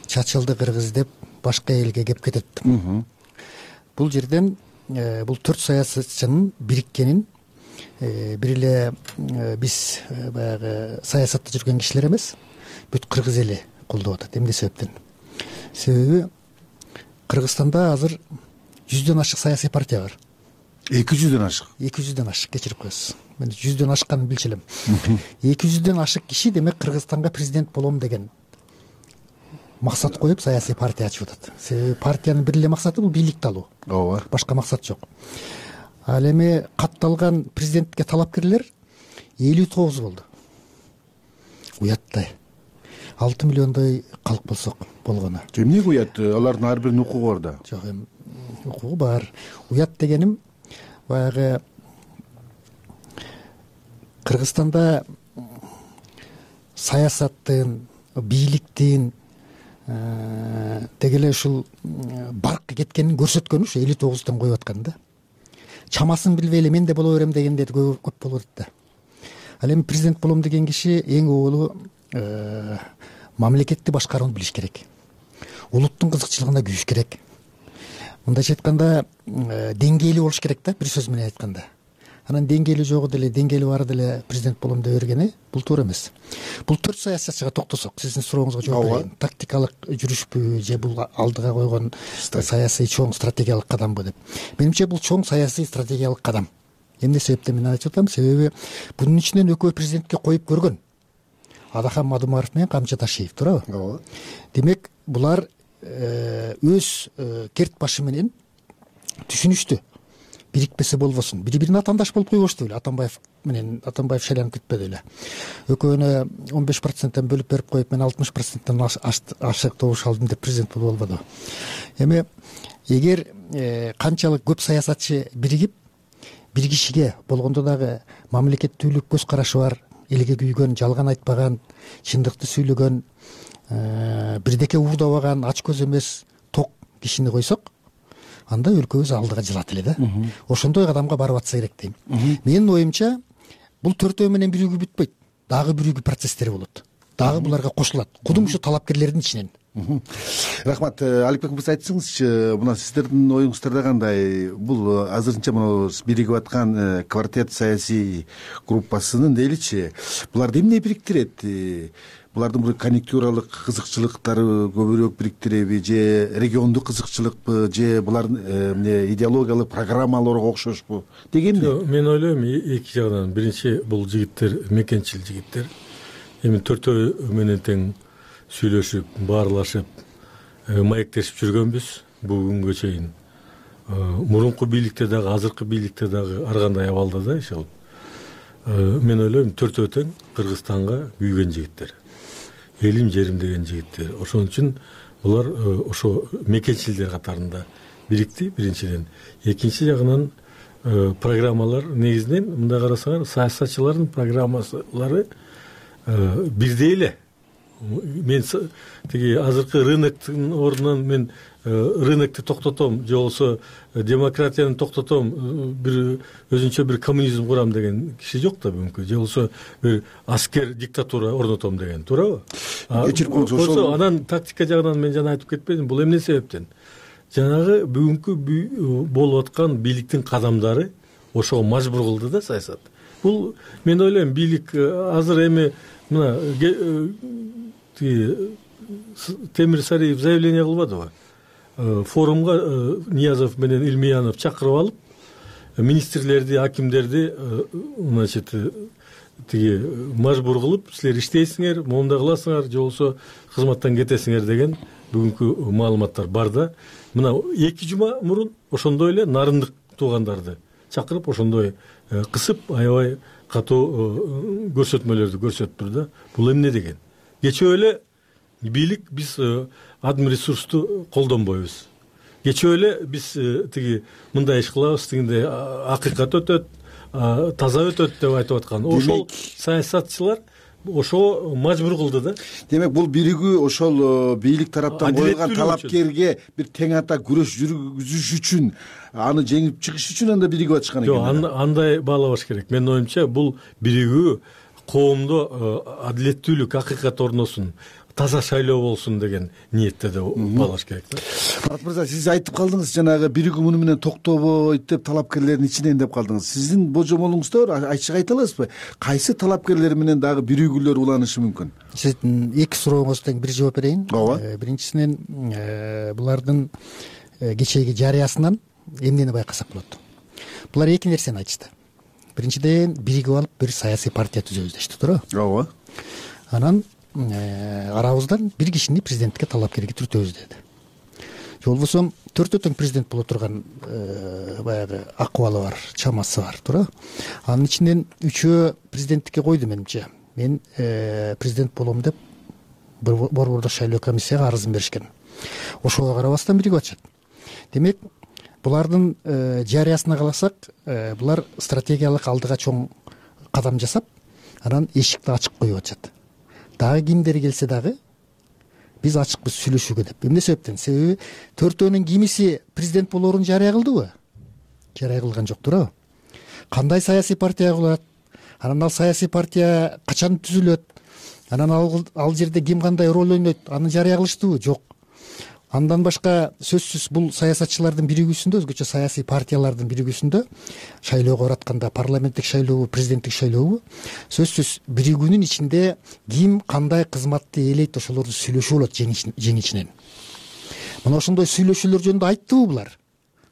[SPEAKER 4] чачылды кыргыз деп башка элге кеп кетет. Бул жерден бул төрт саясатчынын бириккенин бир эле биз баягы саясатта жүргөн кишилер эмес, бүт кыргыз эли колдоп атат. Эмне себептен? Себеби Кыргызстанда азыр жүздөн ашык саясий партия бар.
[SPEAKER 3] эки жүздөн ашык.
[SPEAKER 4] эки жүздөн ашык, кечирип коесуз. Мен жүздөн ашканын билчү элем. эки жүздөн ашык киши демек Кыргызстанга президент болом деген максат коюп саясий партия ачып атат. Себеби партиянын бир эле максаты бул бийликти алуу.
[SPEAKER 3] Ооба.
[SPEAKER 4] Башка максат жок. Ал эми катталган президентке талапкерлер элүү тогуз болду. Уяттай. алты миллиондой калк болсок болгону.
[SPEAKER 3] Эмнеге уят? Алардын ар биринин укугу бар да.
[SPEAKER 4] Жок, эми укугу бар. Уят дегеним баягы Кыргызстанда саясаттын, бийликтин деги эле ушул баркка кеткенин көрсөткөнү ушу элүү тогуздан коюп аткан да. Чамасын билбей эле мен да боло берем дегендер көп болот да. Ал эми президент болом деген киши эң оолу мамлекетти башкарууну билиш керек. Улуттун кызыкчылыгына күйүш керек. Мындайча айтканда, деңгээли болуш керек да, бир сөз менен айтканда. Анан деңгээли жогу деле, деңгээли бары деле президент болом деп бергени бул туура эмес. Бул төрт саясатчыга токтосок, сиздин сурооңузга жооп берейин. Тактикалык жүрүшпү же бул алдыга койгон саясий чоң стратегиялык кадамбы деп. Менимче бул чоң саясий стратегиялык кадам. Эмне себептен мен айтып атам? Себеби бунун ичинен экөө президентке коюп көргөн. Адахан Мадумаров менен Камчы Ташиев, туурабы?
[SPEAKER 3] ооба.
[SPEAKER 4] Демек булар өз керт башы менен түшүнүштү. Бирикпесе болбосун. Бири-бирин атаандаш болуп койбошту эле. Атамбаев менен Атамбаев шайланып кетпеди эле. Экөөнө он беш проценттен бөлүп берип коюп, мен алтымыш проценттен ашык добуш алдым деп президент болуп албады. Эми эгер канчалык көп саясатчы биригип, бир кишиге болгондо дагы мамлекеттүүлүк көз карашы бар, элге күйгөн, жалган айтпаган, чындыкты сүйлөгөн, бирдеке уурдабаган, ач көз эмес, ток кишини койсок, анда өлкөбүз алдыга жылат эле да. Ошондой кадамга барып атса керек дейм. Менин оюмча, бул төртөө менен биригүү бүтпөйт. Дагы биригүү процесстер болот. Дагы буларга кошулат. Кудум ушу талапкерлердин ичинен.
[SPEAKER 3] Рахмат. Аликбек мырза, айтсаңызчы, мына сиздердин оюңуздарда кандай? Бул азырынча мына биригип аткан квартет саясий группасынын дейличи, буларды эмне бириктирет? Булардын бир конъюнктуралык кызыкчылыктары көбүрөөк бириктиреби, же региондук кызыкчылыкпы, же булардын эмне идеологиялык программаларга окшошпу дегенди?
[SPEAKER 20] Мен ойлойм, эки жагынан. Биринчи, бул жигиттер мекенчил жигиттер. Эми төртөө менен тең сүйлөшүп, баарлашып, маектешип жүргөнбүз бүгүнгө чейин. Мурунку бийликте дагы, азыркы бийликте дагы ар кандай абалда да иш алып. Мен ойлойм, төртөө тең Кыргызстанга күйгөн жигиттер. Элим жерим деген жигиттер. Ошон үчүн булар ошо мекенчилдер катарында бирикти, биринчиден. Экинчи жагынан программалар негизинен мындай карасаңар, саясатчылардын программалары бирдей эле. Мен тиги азыркы рыноктун ордунан мен рынокду токтотом, же болбосо демократияны токтотом, бир өзүнчө бир коммунизм курам деген киши жок да бүгүнкү. Же болбосо бир аскер диктатура орнотом деген, туурабы?
[SPEAKER 3] Кечирип коюңуз,
[SPEAKER 20] ошол анан тактика жагынан мен жана айтып кетпедим. Бул эмне себептен? Жанагы бүгүнкү болуп аткан бийликтин кадамдары ошого мажбур кылды да саясат. Бул мен ойлойм, бийлик азыр эми мына Темир Сариев заявление кылбадыбы? Форумга Ниязов менен Илмиянов чакырып алып, министрлерди, акимдерди, значит, тиги мажбур кылып, силер иштейсиңер, моундай кыласыңар, же болбосо кызматтан кетесиңер деген бүгүнкү маалыматтар бар да. Мына эки жума мурун ошондой эле нарындык туугандарды чакырып, ошондой кысып, аябай катуу көрсөтмөлөрдү көрсөттүр да. Бул эмне деген? Кечөө эле бийлик биз адм ресурсту колдонбойбуз. Кечөө эле биз тиги мындай иш кылабыз, дегенде акыйкат өтөт, таза өтөт деп айтып аткан. Ошол саясатчылар ошого мажбур кылды да.
[SPEAKER 3] Демек бул биригүү ошол бийлик тараптан коюлган талапкерге бир тең ата күрөш жүргүзүш үчүн, аны жеңип чыгыш үчүн анда биригип атышкан экен.
[SPEAKER 20] Жок, андай баалабаш керек. Менин оюмча, бул биригүү коомдо адилеттүүлүк, акыйкат орносун, таза шайлоо болсун деген ниетте да баалаш керек да.
[SPEAKER 3] Марат мырза, сиз айтып калдыңыз, жанагы биригүү муну менен токтобойт деп, талапкерлердин ичинен деп калдыңыз. Сиздин божомолуңузда бар, ачык айта аласызбы? Кайсы талапкерлер менен дагы биригүүлөр уланышы мүмкүн?
[SPEAKER 4] Сиздин эки сурооңузга тең бир жооп берейин.
[SPEAKER 3] Ооба.
[SPEAKER 4] Биринчисинен, булардын кечээги жарыясынан эмнени байкасак болот? Булар эки нерсени айтышты. Биринчиден, биригип алып бир саясий партия түзөбүз дешти, туурабы?
[SPEAKER 3] Ооба.
[SPEAKER 4] Анан арабыздан бир кишини президенттикке талапкерге түртөбүз деди. Же болбосо төртөө тең президент боло турган баягы акыбалы бар, чамасы бар, туурабы? Анын ичинен үчөө президенттикке койду менимче. Мен президент болом деп борбордук шайлоо комиссияга арызын беришкен. Ошого карабастан биригип атышат. Демек, булардын жарыясына каласак, булар стратегиялык алдыга чоң кадам жасап, анан эшикти ачык коюп атышат. Дагы кимдер келсе дагы биз ачыкпыз сүйлөшүүгө деп. Эмне себептен? Себеби төртөөнүн кимиси президент болоорун жарыя кылдыбы? Жарыя кылган жок, туурабы? Кандай саясий партия курулат? Анан ал саясий партия качан түзүлөт? Анан ал жерде ким кандай роль ойнойт? Аны жарыя кылыштыбы? Жок. Андан башка сөзсүз бул саясатчылардын биригүүсүндө, өзгөчө саясий партиялардын биригүүсүндө, шайлоого баратканда парламенттик шайлообу, президенттик шайлообу, сөзсүз биригүүнүн ичинде ким кандай кызматты ээлейт, ошолорду сүйлөшүү болот жең ичинен. Мына ошондой сүйлөшүүлөр жөнүндө айттыбы булар?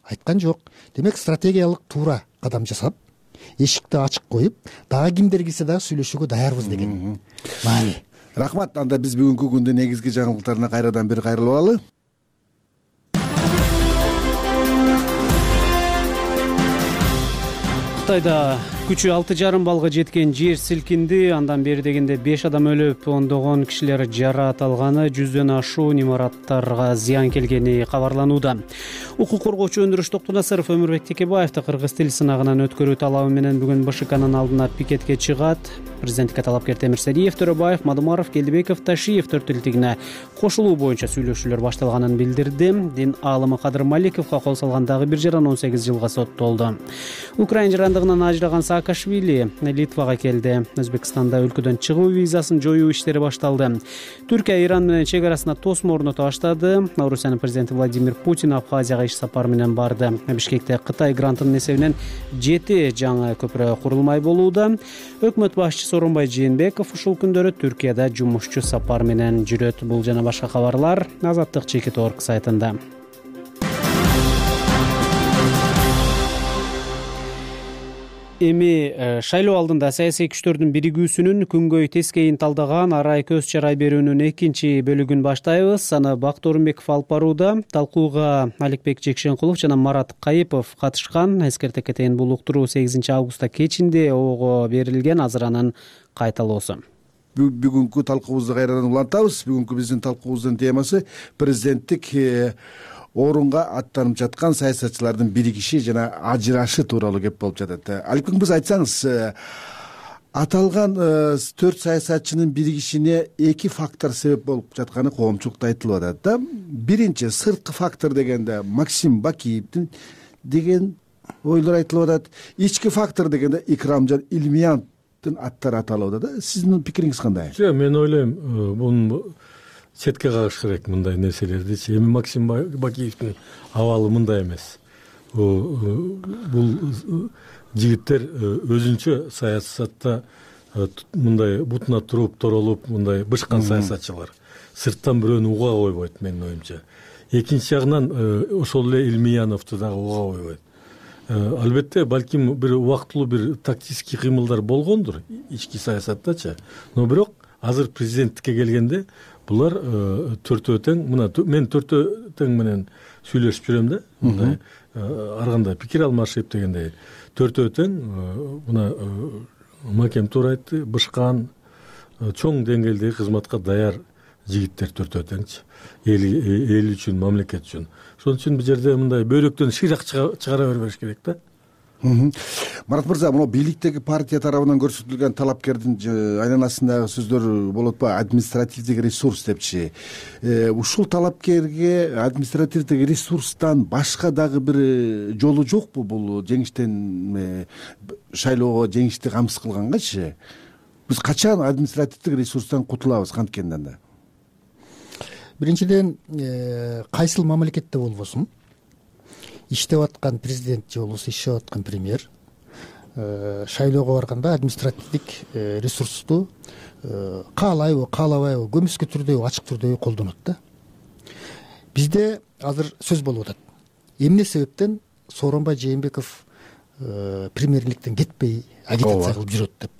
[SPEAKER 4] Айткан жок. Демек, стратегиялык туура кадам жасап, эшикти ачык коюп, дагы кимдер келсе дагы сүйлөшүүгө даярбыз деген маани.
[SPEAKER 3] Рахмат. Анда биз бүгүнкү күндүн негизги жаңылыктарына кайрадан бир кайрылып алалы.
[SPEAKER 1] Кытайда күчү алты жарым баллга жеткен жер силкинди. Андан бери дегенде беш адам өлүп, ондогон кишилер жараат алганы, жүздөн ашуун имараттарга зыян келгени кабарланууда. Укук коргоочу Өндүрүш Токтонасыров Өмүрбек Текебаевди кыргыз тил сынагынан өткөрүү талабы менен бүгүн БШКнын алдына пикетке чыгат. Президенттикке талапкер Темирсариев, Төрөбаев, Мадумаров, Келдибеков, Ташиев төртүлтүгүнө кошулуу боюнча сүйлөшүүлөр башталганын билдирди. Дин аалымы Кадыр Маликовго кол салган дагы бир жаран он сегиз жылга соттолду. Украина жарандыгынан ажыраган Саакашвили Литвага келди. Өзбекстанда өлкөдөн чыгуу визасын жоюу иштери башталды. Түркия Иран менен чек арасына тосмо орното баштады. Орусиянын президенти Владимир Путин Абхазияга иш сапар менен барды. Бишкекте Кытай грантынын эсебинен жети жаңы көпүрө курулмай болууда. Өкмөт башчысы Сооронбай Жээнбеков ушул күндөрү Түркияда жумушчу сапар менен жүрөт. Бул жана башка кабарлар Азаттык чекит точка орг сайтында. Эми шайлоо алдында саясий күчтөрдүн биригүүсүнүн күнгөй тескейин талдаган арай көз чарай берүүнүн экинчи бөлүгүн баштайбыз. Аны Бакыт Орунбеков алып барууда. Талкууга Аликбек Жекшенкулов жана Марат Кайыпов катышкан. Эскерте кетейин, бул уктуруу сегизинчи августта кечинде ого берилген. Азыр анын кайталоосу.
[SPEAKER 3] Бүгүнкү талкуубузду кайрадан улантабыз. Бүгүнкү биздин талкуубуздун темасы президенттик орунга аттанып жаткан саясатчылардын биригиши жана ажырашы тууралуу кеп болуп жатат. Аликбек мырза, айтсаңыз, аталган төрт саясатчынын биригишине эки фактор себеп болуп жатканы коомчулукта айтылып атат да. Биринчи, сырткы фактор дегенде Максим Бакиевдин деген ойлор айтылып атат. Ички фактор дегенде Икрамжан Илмияновдун аттары аталып атат да. Сиздин пикириңиз кандай?
[SPEAKER 20] Жок, мен ойлойм, бунун четке кагыш керек мындай нерселерди. Эми Максим Бакиевдин абалы мындай эмес. Бул жигиттер өзүнчө саясатта мындай бутуна туруп, торолуп, мындай бышкан саясатчылар. Сырттан бирөөнү уга койбойт, менин оюмча. Экинчи жагынан ошол эле Илмияновду дагы уга койбойт. Албетте, балким бир убактылуу бир тактический кыймылдар болгондур ички саясаттачы. Но бирок азыр президенттикке келгенде булар төртөө тең, мына мен төртөө тең менен сүйлөшүп жүрөм да, мындай ар кандай пикир алмашып дегендей. Төртөө тең, мына Макем туура айтты, бышкан, чоң деңгээлдеги кызматка даяр жигиттер төртөө теңчи. Эл үчүн, мамлекет үчүн. Ошон үчүн бул жерде мындай бөйрөктөн шыйрак чыгара бербеш керек да.
[SPEAKER 3] Марат мырза, мына бийликтеги партия тарабынан көрсөтүлгөн талапкердин айланасындагы сөздөр болуп атпайбы, административдик ресурс депчи. Ушул талапкерге административдик ресурстан башка дагы бир жолу жокпу бул жеңиштен шайлоого жеңишти камсыз кылгангачы? Биз качан административдик ресурстан кутулабыз канткенде анда?
[SPEAKER 4] Биринчиден, кайсыл мамлекетте болбосун иштеп аткан президент же болбосо иштеп аткан премьер шайлоого барганда административдик ресурсту каалайбы, каалабайбы, көмүскө түрдөбү, ачык түрдөбү колдонот да. Бизде азыр сөз болуп атат. Эмне себептен Сооронбай Жээнбеков премьерликтен кетпей агитация кылып жүрөт деп.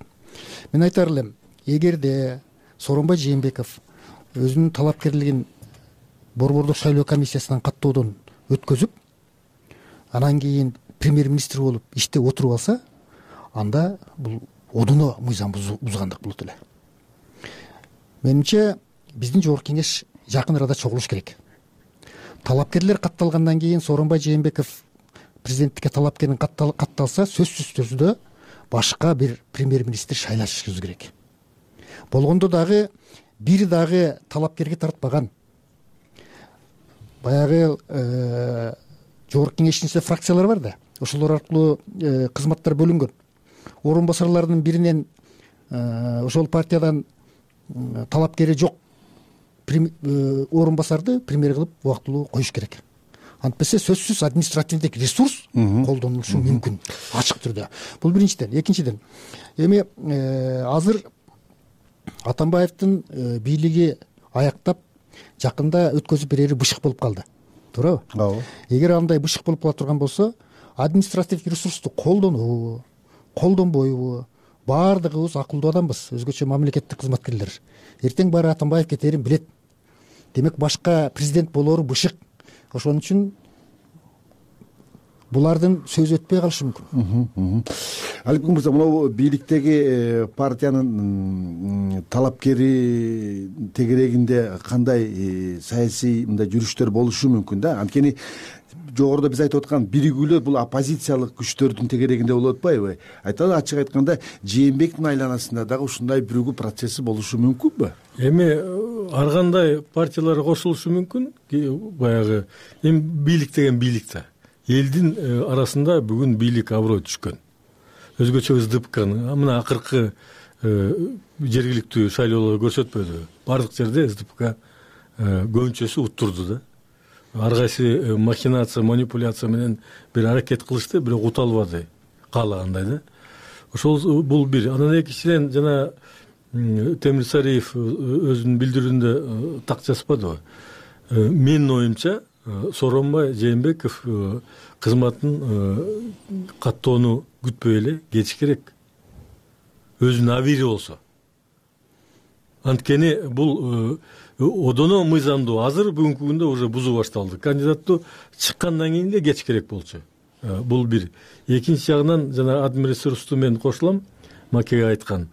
[SPEAKER 4] Мен айтар элем, эгерде Сооронбай Жээнбеков өзүнүн талапкерлигин Борбордук шайлоо комиссиясынан каттоодон өткөзүп, анан кийин премьер-министр болуп иштеп отуруп алса, анда бул одуно мыйзам бузгандык болот эле. Менимче, биздин жогорку кеңеш жакын арада чогулуш керек. Талапкерлер катталгандан кийин Сооронбай Жээнбеков президенттикке талапкерин катталса, сөзсүз түрдө башка бир премьер-министр шайлашыбыз керек. Болгондо дагы бир дагы талапкерге тартпаган баягы жогорку кеңештин ичинде фракциялар бар да, ошолор аркылуу кызматтар бөлүнгөн. Орун басарлардын биринен ошол партиядан талапкери жок орун басарды премьер кылып убактылуу коюш керек. Антпесе сөзсүз административдик ресурс колдонулушу мүмкүн ачык түрдө. Бул биринчиден. Экинчиден, эми азыр Атамбаевдин бийлиги аяктап жакында өткөзүп берери бышык болуп калды. Туурабы?
[SPEAKER 3] Ооба.
[SPEAKER 4] Эгер андай бышык болуп кала турган болсо, административдик ресурсту колдонобу, колдонбойбу, баардыгыбыз акылдуу адамбыз, өзгөчө мамлекеттик кызматкерлер. Эртең баары Атамбаев кетерин билет. Демек башка президент болору бышык. Ошон үчүн булардын сөзү өтпөй калышы мүмкүн.
[SPEAKER 3] Алипбек мырза, мына бийликтеги партиянын талапкери тегерегинде кандай саясий мындай жүрүштөр болушу мүмкүн да? Анткени жогоруда биз айтып аткан биригүүлөр бул оппозициялык күчтөрдүн тегерегинде болуп атпайбы? Айталы ачык айтканда Жээнбектин айланасында дагы ушундай биригүү процесси болушу мүмкүнбү?
[SPEAKER 20] Эми ар кандай партиялар кошулушу мүмкүн. Баягы эми бийлик деген бийлик да. Элдин арасында бүгүн бийлик аброй түшкөн. Өзгөчө СДПКнын мына акыркы жергиликтүү шайлоолор көрсөтпөдү. Бардык жерде СДПК көбүнчөсү уттурду да. Ар кайсы махинация, манипуляция менен бир аракет кылышты, бирок ута албады каалагандай да. Ошол бул бир. Анан экинчиден жана Темир Сариев өзүнүн билдирүүндө так жазбадыбы? Менин оюмча Сооронбай Жээнбеков кызматын каттоону күтпөй эле кетиш керек. Өзүнүн абийири болсо. Анткени бул одоно мыйзамдуу. Азыр бүгүнкү күндө уже бузуу башталды. Кандидаттуу чыккандан кийин эле кетиш керек болчу. Бул бир. Экинчи жагынан жана админресурсту мен кошулам, Макеге айткан.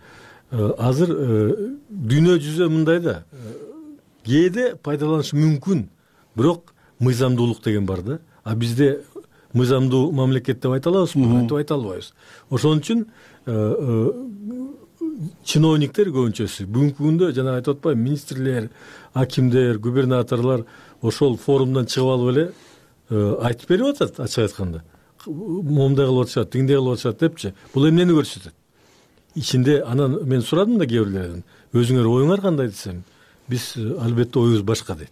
[SPEAKER 20] Азыр дүйнө жүзү мындай да. Кээде пайдаланыш мүмкүн, бирок мыйзамдуулук деген бар да. А бизде мыйзамдуу мамлекет деп айта алабызбы? Айтып айта албайбыз. Ошон үчүн чиновниктер көбүнчөсү бүгүнкү күндө жана айтып атпайбы, министрлер, акимдер, губернаторлор ошол форумдан чыгып алып эле айтып берип атат, ачык айтканда. Момундай кылып атышат, тигиндей кылып атышат депчи. Бул эмнени көрсөтөт? Ичинде анан мен сурадым да кээ бирлерден. Өзүңөр оюңар кандай десем, биз албетте оюбуз башка дейт.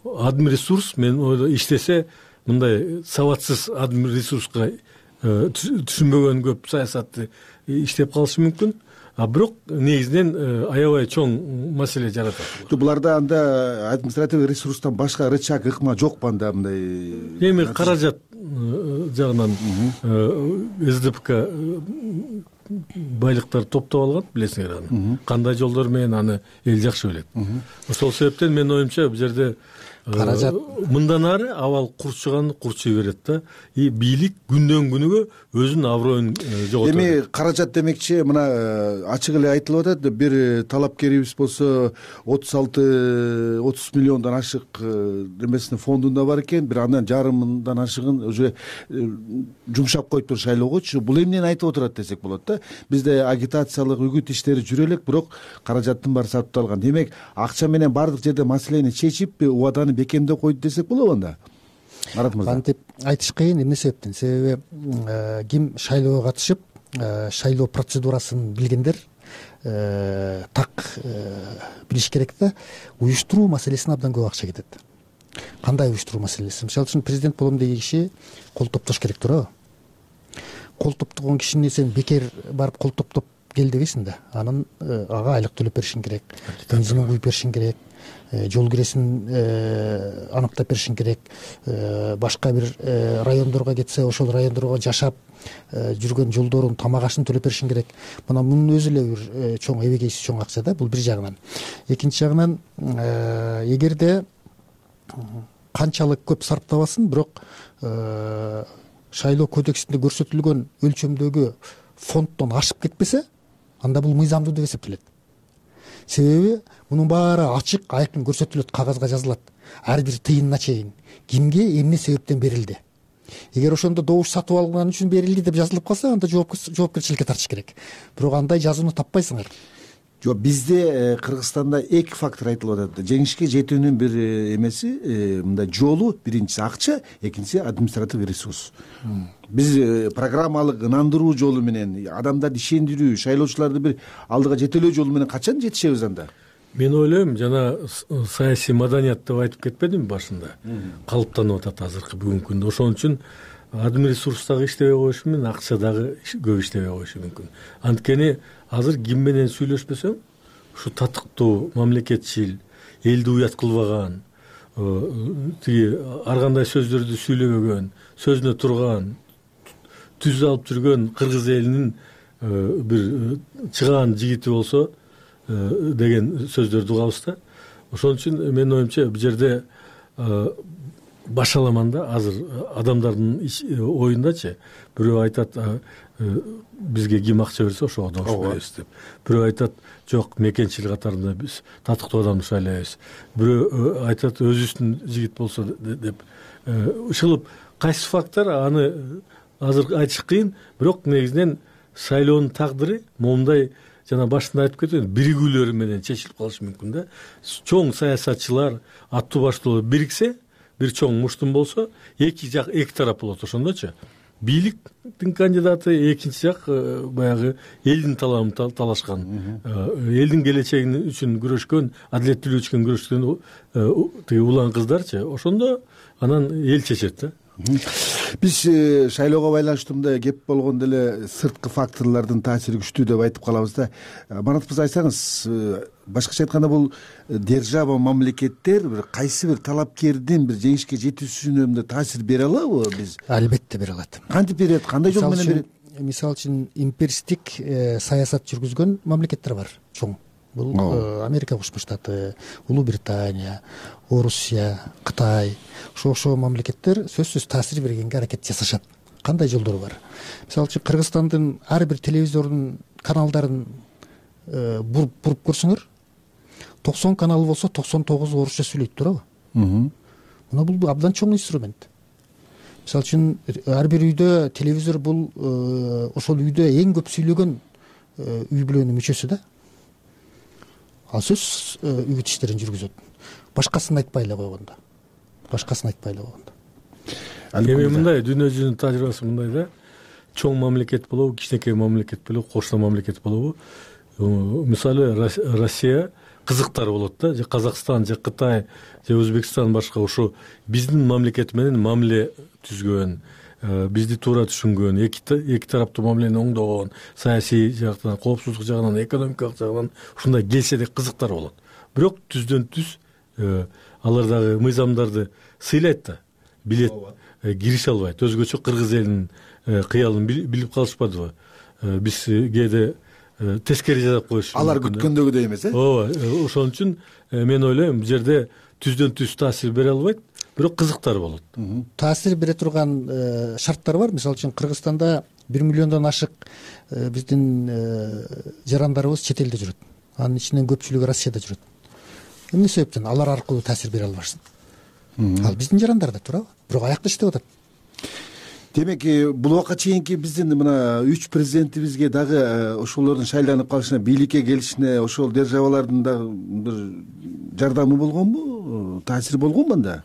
[SPEAKER 20] Админресурс мен иштесе мындай сабатсыз админресурска түшүнбөгөн көп саясатты иштеп калышы мүмкүн. А бирок негизинен аябай чоң маселе жаратат.
[SPEAKER 3] Буларда анда административдик ресурстан башка рычаг ыкма жокпу анда мындай?
[SPEAKER 20] Эми каражат жагынан СДПК байлыктарды топтоп алган, билесиңер аны. Кандай жолдор менен аны эл жакшы билет. Ошол себептен менин оюмча бул жерде каражат мындан ары абал курчуганды курчуй берет да. И бийлик күндөн күнүгө өзүнүн аброюн жоготот.
[SPEAKER 3] Эми каражат демекчи мына ачык эле айтылып атат. Бир талапкерибиз болсо отуз алты отуз миллиондон ашык эмесинин фондунда бар экен. Бир андан жарымындан ашыгын уже жумшап коюптур шайлоогочу. Бул эмнени айтып отурат десек болот да. Бизде агитациялык үгүт иштери жүрө элек, бирок каражаттын баары сарпталган. Демек акча менен бардык жерде маселени чечип, убаданы бекемдеп койду десек болобу анда? Марат мырза.
[SPEAKER 4] Кантип айтыш кыйын, эмне себептен? Себеби ким шайлоого катышып, шайлоо процедурасын билгендер так билиш керек да. Уюштуруу маселесине абдан көп акча кетет. Кандай уюштуруу маселеси? Мисалы үчүн президент болом деген киши кол топтош керек туурабы? Кол топтогон кишини сен бекер барып кол топтоп кел дебейсиң да. Анын ага айлык төлөп беришиң керек, бензинин куюп беришиң керек, жол киресин аныктап беришиң керек, башка бир райондорго кетсе ошол райондорго жашап жүргөн жолдорун, тамак ашын төлөп беришиң керек. Мына мунун өзү эле бир чоң эбегейси чоң акча да, бул бир жагынан. Экинчи жагынан эгерде канчалык көп сарптабасын, бирок шайлоо кодексинде көрсөтүлгөн өлчөмдөгү фонддон ашып кетпесе, анда бул мыйзамдуу деп эсептелет. Себеби мунун баары ачык, айкын көрсөтүлөт, кагазга жазылат. Ар бир тыйынына чейин кимге эмне себептен берилди. Эгер ошондо добуш сатып алган үчүн берилди деп жазылып калса, анда жоопкерчиликке тартыш керек. Бирок андай жазууну таппайсыңар.
[SPEAKER 3] Жок, бизде Кыргызстанда эки фактор айтылып атат. Жеңишке жетүүнүн бир эмеси, мындай жолу, биринчиси акча, экинчиси административдик ресурс. Биз программалык ынандыруу жолу менен, адамдарды ишендирүү, шайлоочуларды бир алдыга жетелөө жолу менен качан жетишебиз анда?
[SPEAKER 20] Мен ойлойм, жана саясий маданият деп айтып кетпедимби башында? Калыптанып атат азыркы бүгүнкү күндө. Ошон үчүн админресурс дагы иштебей коюшу менен акча дагы көп иштебей коюшу мүмкүн. Анткени азыр ким менен сүйлөшпөсөң, ушу татыктуу, мамлекетчил, элди уят кылбаган, тиги ар кандай сөздөрдү сүйлөбөгөн, сөзүнө турган, түз алып жүргөн кыргыз элинин бир чыгаан жигити болсо деген сөздөрдү угабыз да. Ошон үчүн менин оюмча бул жерде башаламан да азыр адамдардын оюндачы бирөө айтат бизге ким акча берсе ошого добуш беребиз деп. Бирөө айтат жок мекенчил катарында биз татыктуу адамды шайлайбыз. Бирөө айтат өзүбүздүн жигит болсо деп. Ушул кайсы фактор аны азыр айтыш кыйын, бирок негизинен шайлоонун тагдыры момундай жана башында айтып кеткен биригүүлөр менен чечилип калышы мүмкүн да. Чоң саясатчылар, аттуу баштуулар бириксе, бир чоң муштум болсо, эки жак эки тарап болот ошондочу. Бийликтин кандидаты, экинчи жак баягы элдин талабын талашкан, элдин келечеги үчүн күрөшкөн, адилеттүүлүк үчүн күрөшкөн тиги улан кыздарчы. Ошондо анан эл чечет да.
[SPEAKER 3] Биз шайлоого байланыштуу мындай кеп болгондо эле сырткы факторлордун таасири күчтүү деп айтып калабыз да. Марат мырза, айтсаңыз, башкача айтканда бул держава, мамлекеттер бир кайсы бир талапкердин бир жеңишке жетүүсүнө таасир бере алабы биз?
[SPEAKER 4] Албетте бере алат.
[SPEAKER 3] Кантип берет? Кандай жол менен берет?
[SPEAKER 4] Мисалы үчүн империстик саясат жүргүзгөн мамлекеттер бар чоң. Бул Америка Кошмо Штаты, Улуу Британия, Орусия, Кытай. Ошо ошо мамлекеттер сөзсүз таасир бергенге аракет жасашат. Кандай жолдору бар? Мисалы үчүн Кыргызстандын ар бир телевизордун каналдарын буруп буруп көрсөңөр, токсон каналы болсо токсон тогузу орусча сүйлөйт, туурабы? Мына бул абдан чоң инструмент. Мисалы үчүн ар бир үйдө телевизор бул ошол үйдө эң көп сүйлөгөн үй бүлөнүн мүчөсү да. Ал сөз үгүт иштерин жүргүзөт. Башкасын айтпай эле койгондо. Башкасын айтпай эле койгондо.
[SPEAKER 20] Эми мындай дүйнө жүзүнүн тажрыйбасы мындай да. Чоң мамлекет болобу, кичинекей мамлекет болобу, кошуна мамлекет болобу. Мисалы Россия кызыктар болот да, же Казакстан, же Кытай, же Өзбекстан башка ошо биздин мамлекет менен мамиле түзгөн, бизди туура түшүнгөн, эки эки тараптуу мамилени оңдогон, саясий жактан, коопсуздук жагынан, экономикалык жагынан ушундай келсе кызыктар болот. Бирок түздөн түз алар дагы мыйзамдарды сыйлайт да, билет, кирише албайт. Өзгөчө кыргыз элинин кыялын билип калышпадыбы? Биз кээде тескери жасап коюш.
[SPEAKER 3] Алар күткөндөгүдөй эмес, э?
[SPEAKER 20] Ооба, ошон үчүн мен ойлойм, бул жерде түздөн түз таасир бере албайт, бирок кызыктар болот.
[SPEAKER 4] Таасир бере турган шарттар бар. Мисалы үчүн Кыргызстанда бир миллиондон ашык биздин жарандарыбыз чет элде жүрөт. Анын ичинен көпчүлүгү Россияда жүрөт. Эмне себептен алар аркылуу таасир бере албашсын? Ал биздин жарандар да, туурабы? Бирок аякта иштеп атат.
[SPEAKER 3] Демек, бул убакка чейинки биздин мына үч президентибизге дагы ошолордун шайланып калышына, бийликке келишине ошол державалардын дагы бир жардамы болгонбу, таасири болгонбу анда?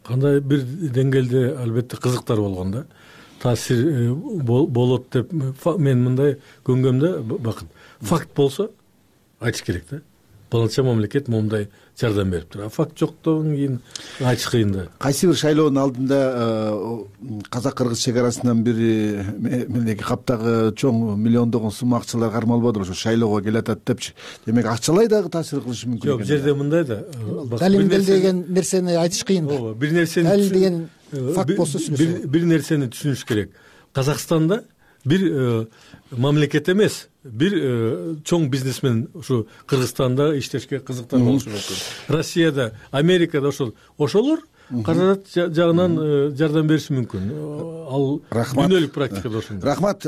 [SPEAKER 20] Кандай бир деңгээлде албетте кызыктар болгон да. Таасир болот деп мен мындай көнгөмдө бакыт. Факт болсо айтыш керек да. Баланча мамлекет момундай жардам бериптир. А факт жоктон кийин айтыш кыйын да.
[SPEAKER 3] Кайсы бир шайлоонун алдында казак-кыргыз чек арасынан бир мендеги каптагы чоң миллиондогон сум акчалар кармалбадыр, ошо шайлоого келатат депчи. Демек, акчалай дагы таасир кылышы мүмкүн экен.
[SPEAKER 20] Жок, жерде мындай да.
[SPEAKER 4] Далимдел деген нерсени айтыш кыйын да.
[SPEAKER 20] Ооба, бир нерсени
[SPEAKER 4] дал деген факт болсо сүйлөсө.
[SPEAKER 20] Бир нерсени түшүнүш керек. Казакстанда бир мамлекет эмес, бир чоң бизнесмен ушу Кыргызстанда иштешке кызыктар болушу мүмкүн. Россияда, Америкада ошол ошолор каражат жагынан жардам бериши мүмкүн. Ал дүйнөлүк практикада ошондой.
[SPEAKER 3] Рахмат,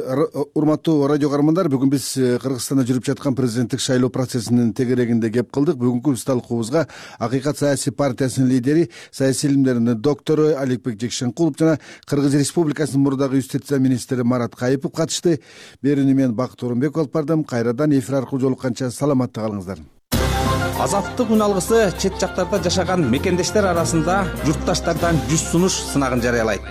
[SPEAKER 3] урматтуу радио каармандар. Бүгүн биз Кыргызстанда жүрүп жаткан президенттик шайлоо процессинин тегерегинде кеп кылдык. Бүгүнкү биз талкуубузга Акыйкат саясий партиясынын лидери, саясий илимдердин доктору Аликбек Жекшенкулов жана Кыргыз Республикасынын мурдагы юстиция министри Марат Кайыпов катышты. Берүүнү мен Бакыт Орунбеков алып бардым. Кайрадан эфир аркылуу жолукканча саламатта калыңыздар.
[SPEAKER 5] Азаттык үн алгысы чет жактарда жашаган мекендештер арасында журтташтардан жүз сунуш сынагын жарыялайт.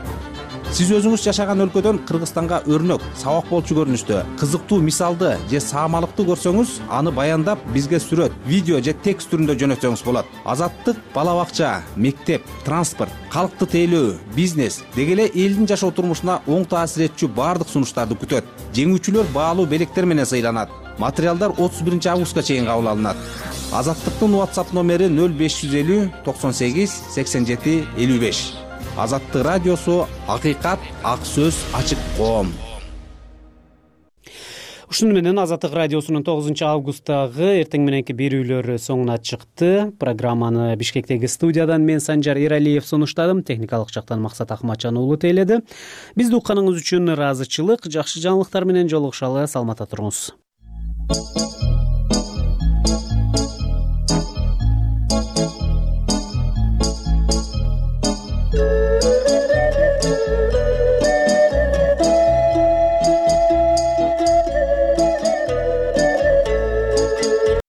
[SPEAKER 5] Сиз өзүңүз жашаган өлкөдөн Кыргызстанга өрнөк, сабак болчу көрүнүштө кызыктуу мисалды же саамалыкты көрсөңүз, аны баяндап бизге сүрөт, видео же текст түрүндө жөнөтсөңүз болот. Азаттык бала бакча, мектеп, транспорт, калкты тейлөө, бизнес деги эле элдин жашоо турмушуна оң таасир этчү баардык сунуштарды күтөт. Жеңүүчүлөр баалуу белектер менен сыйланат. Материалдар отуз биринчи августка чейин кабыл алынат. Азаттыктын WhatsApp номери нөл беш жүз элүү токсон сегиз сексен жети элүү беш. Азаттык радиосу, акыйкат, ак сөз, ачык коом.
[SPEAKER 1] Ушуну менен Азаттык радиосунун тогузунчу августтагы эртең мененки берүүлөрү соңуна чыкты. Программаны Бишкектеги студиядан мен Санжар Эралиев сунуштадым. Техникалык жактан Максат Акмачан уулу тейледи. Бизди укканыңыз үчүн ыраазычылык. Жакшы жаңылыктар менен жолугушалы. Саламатта туруңуз.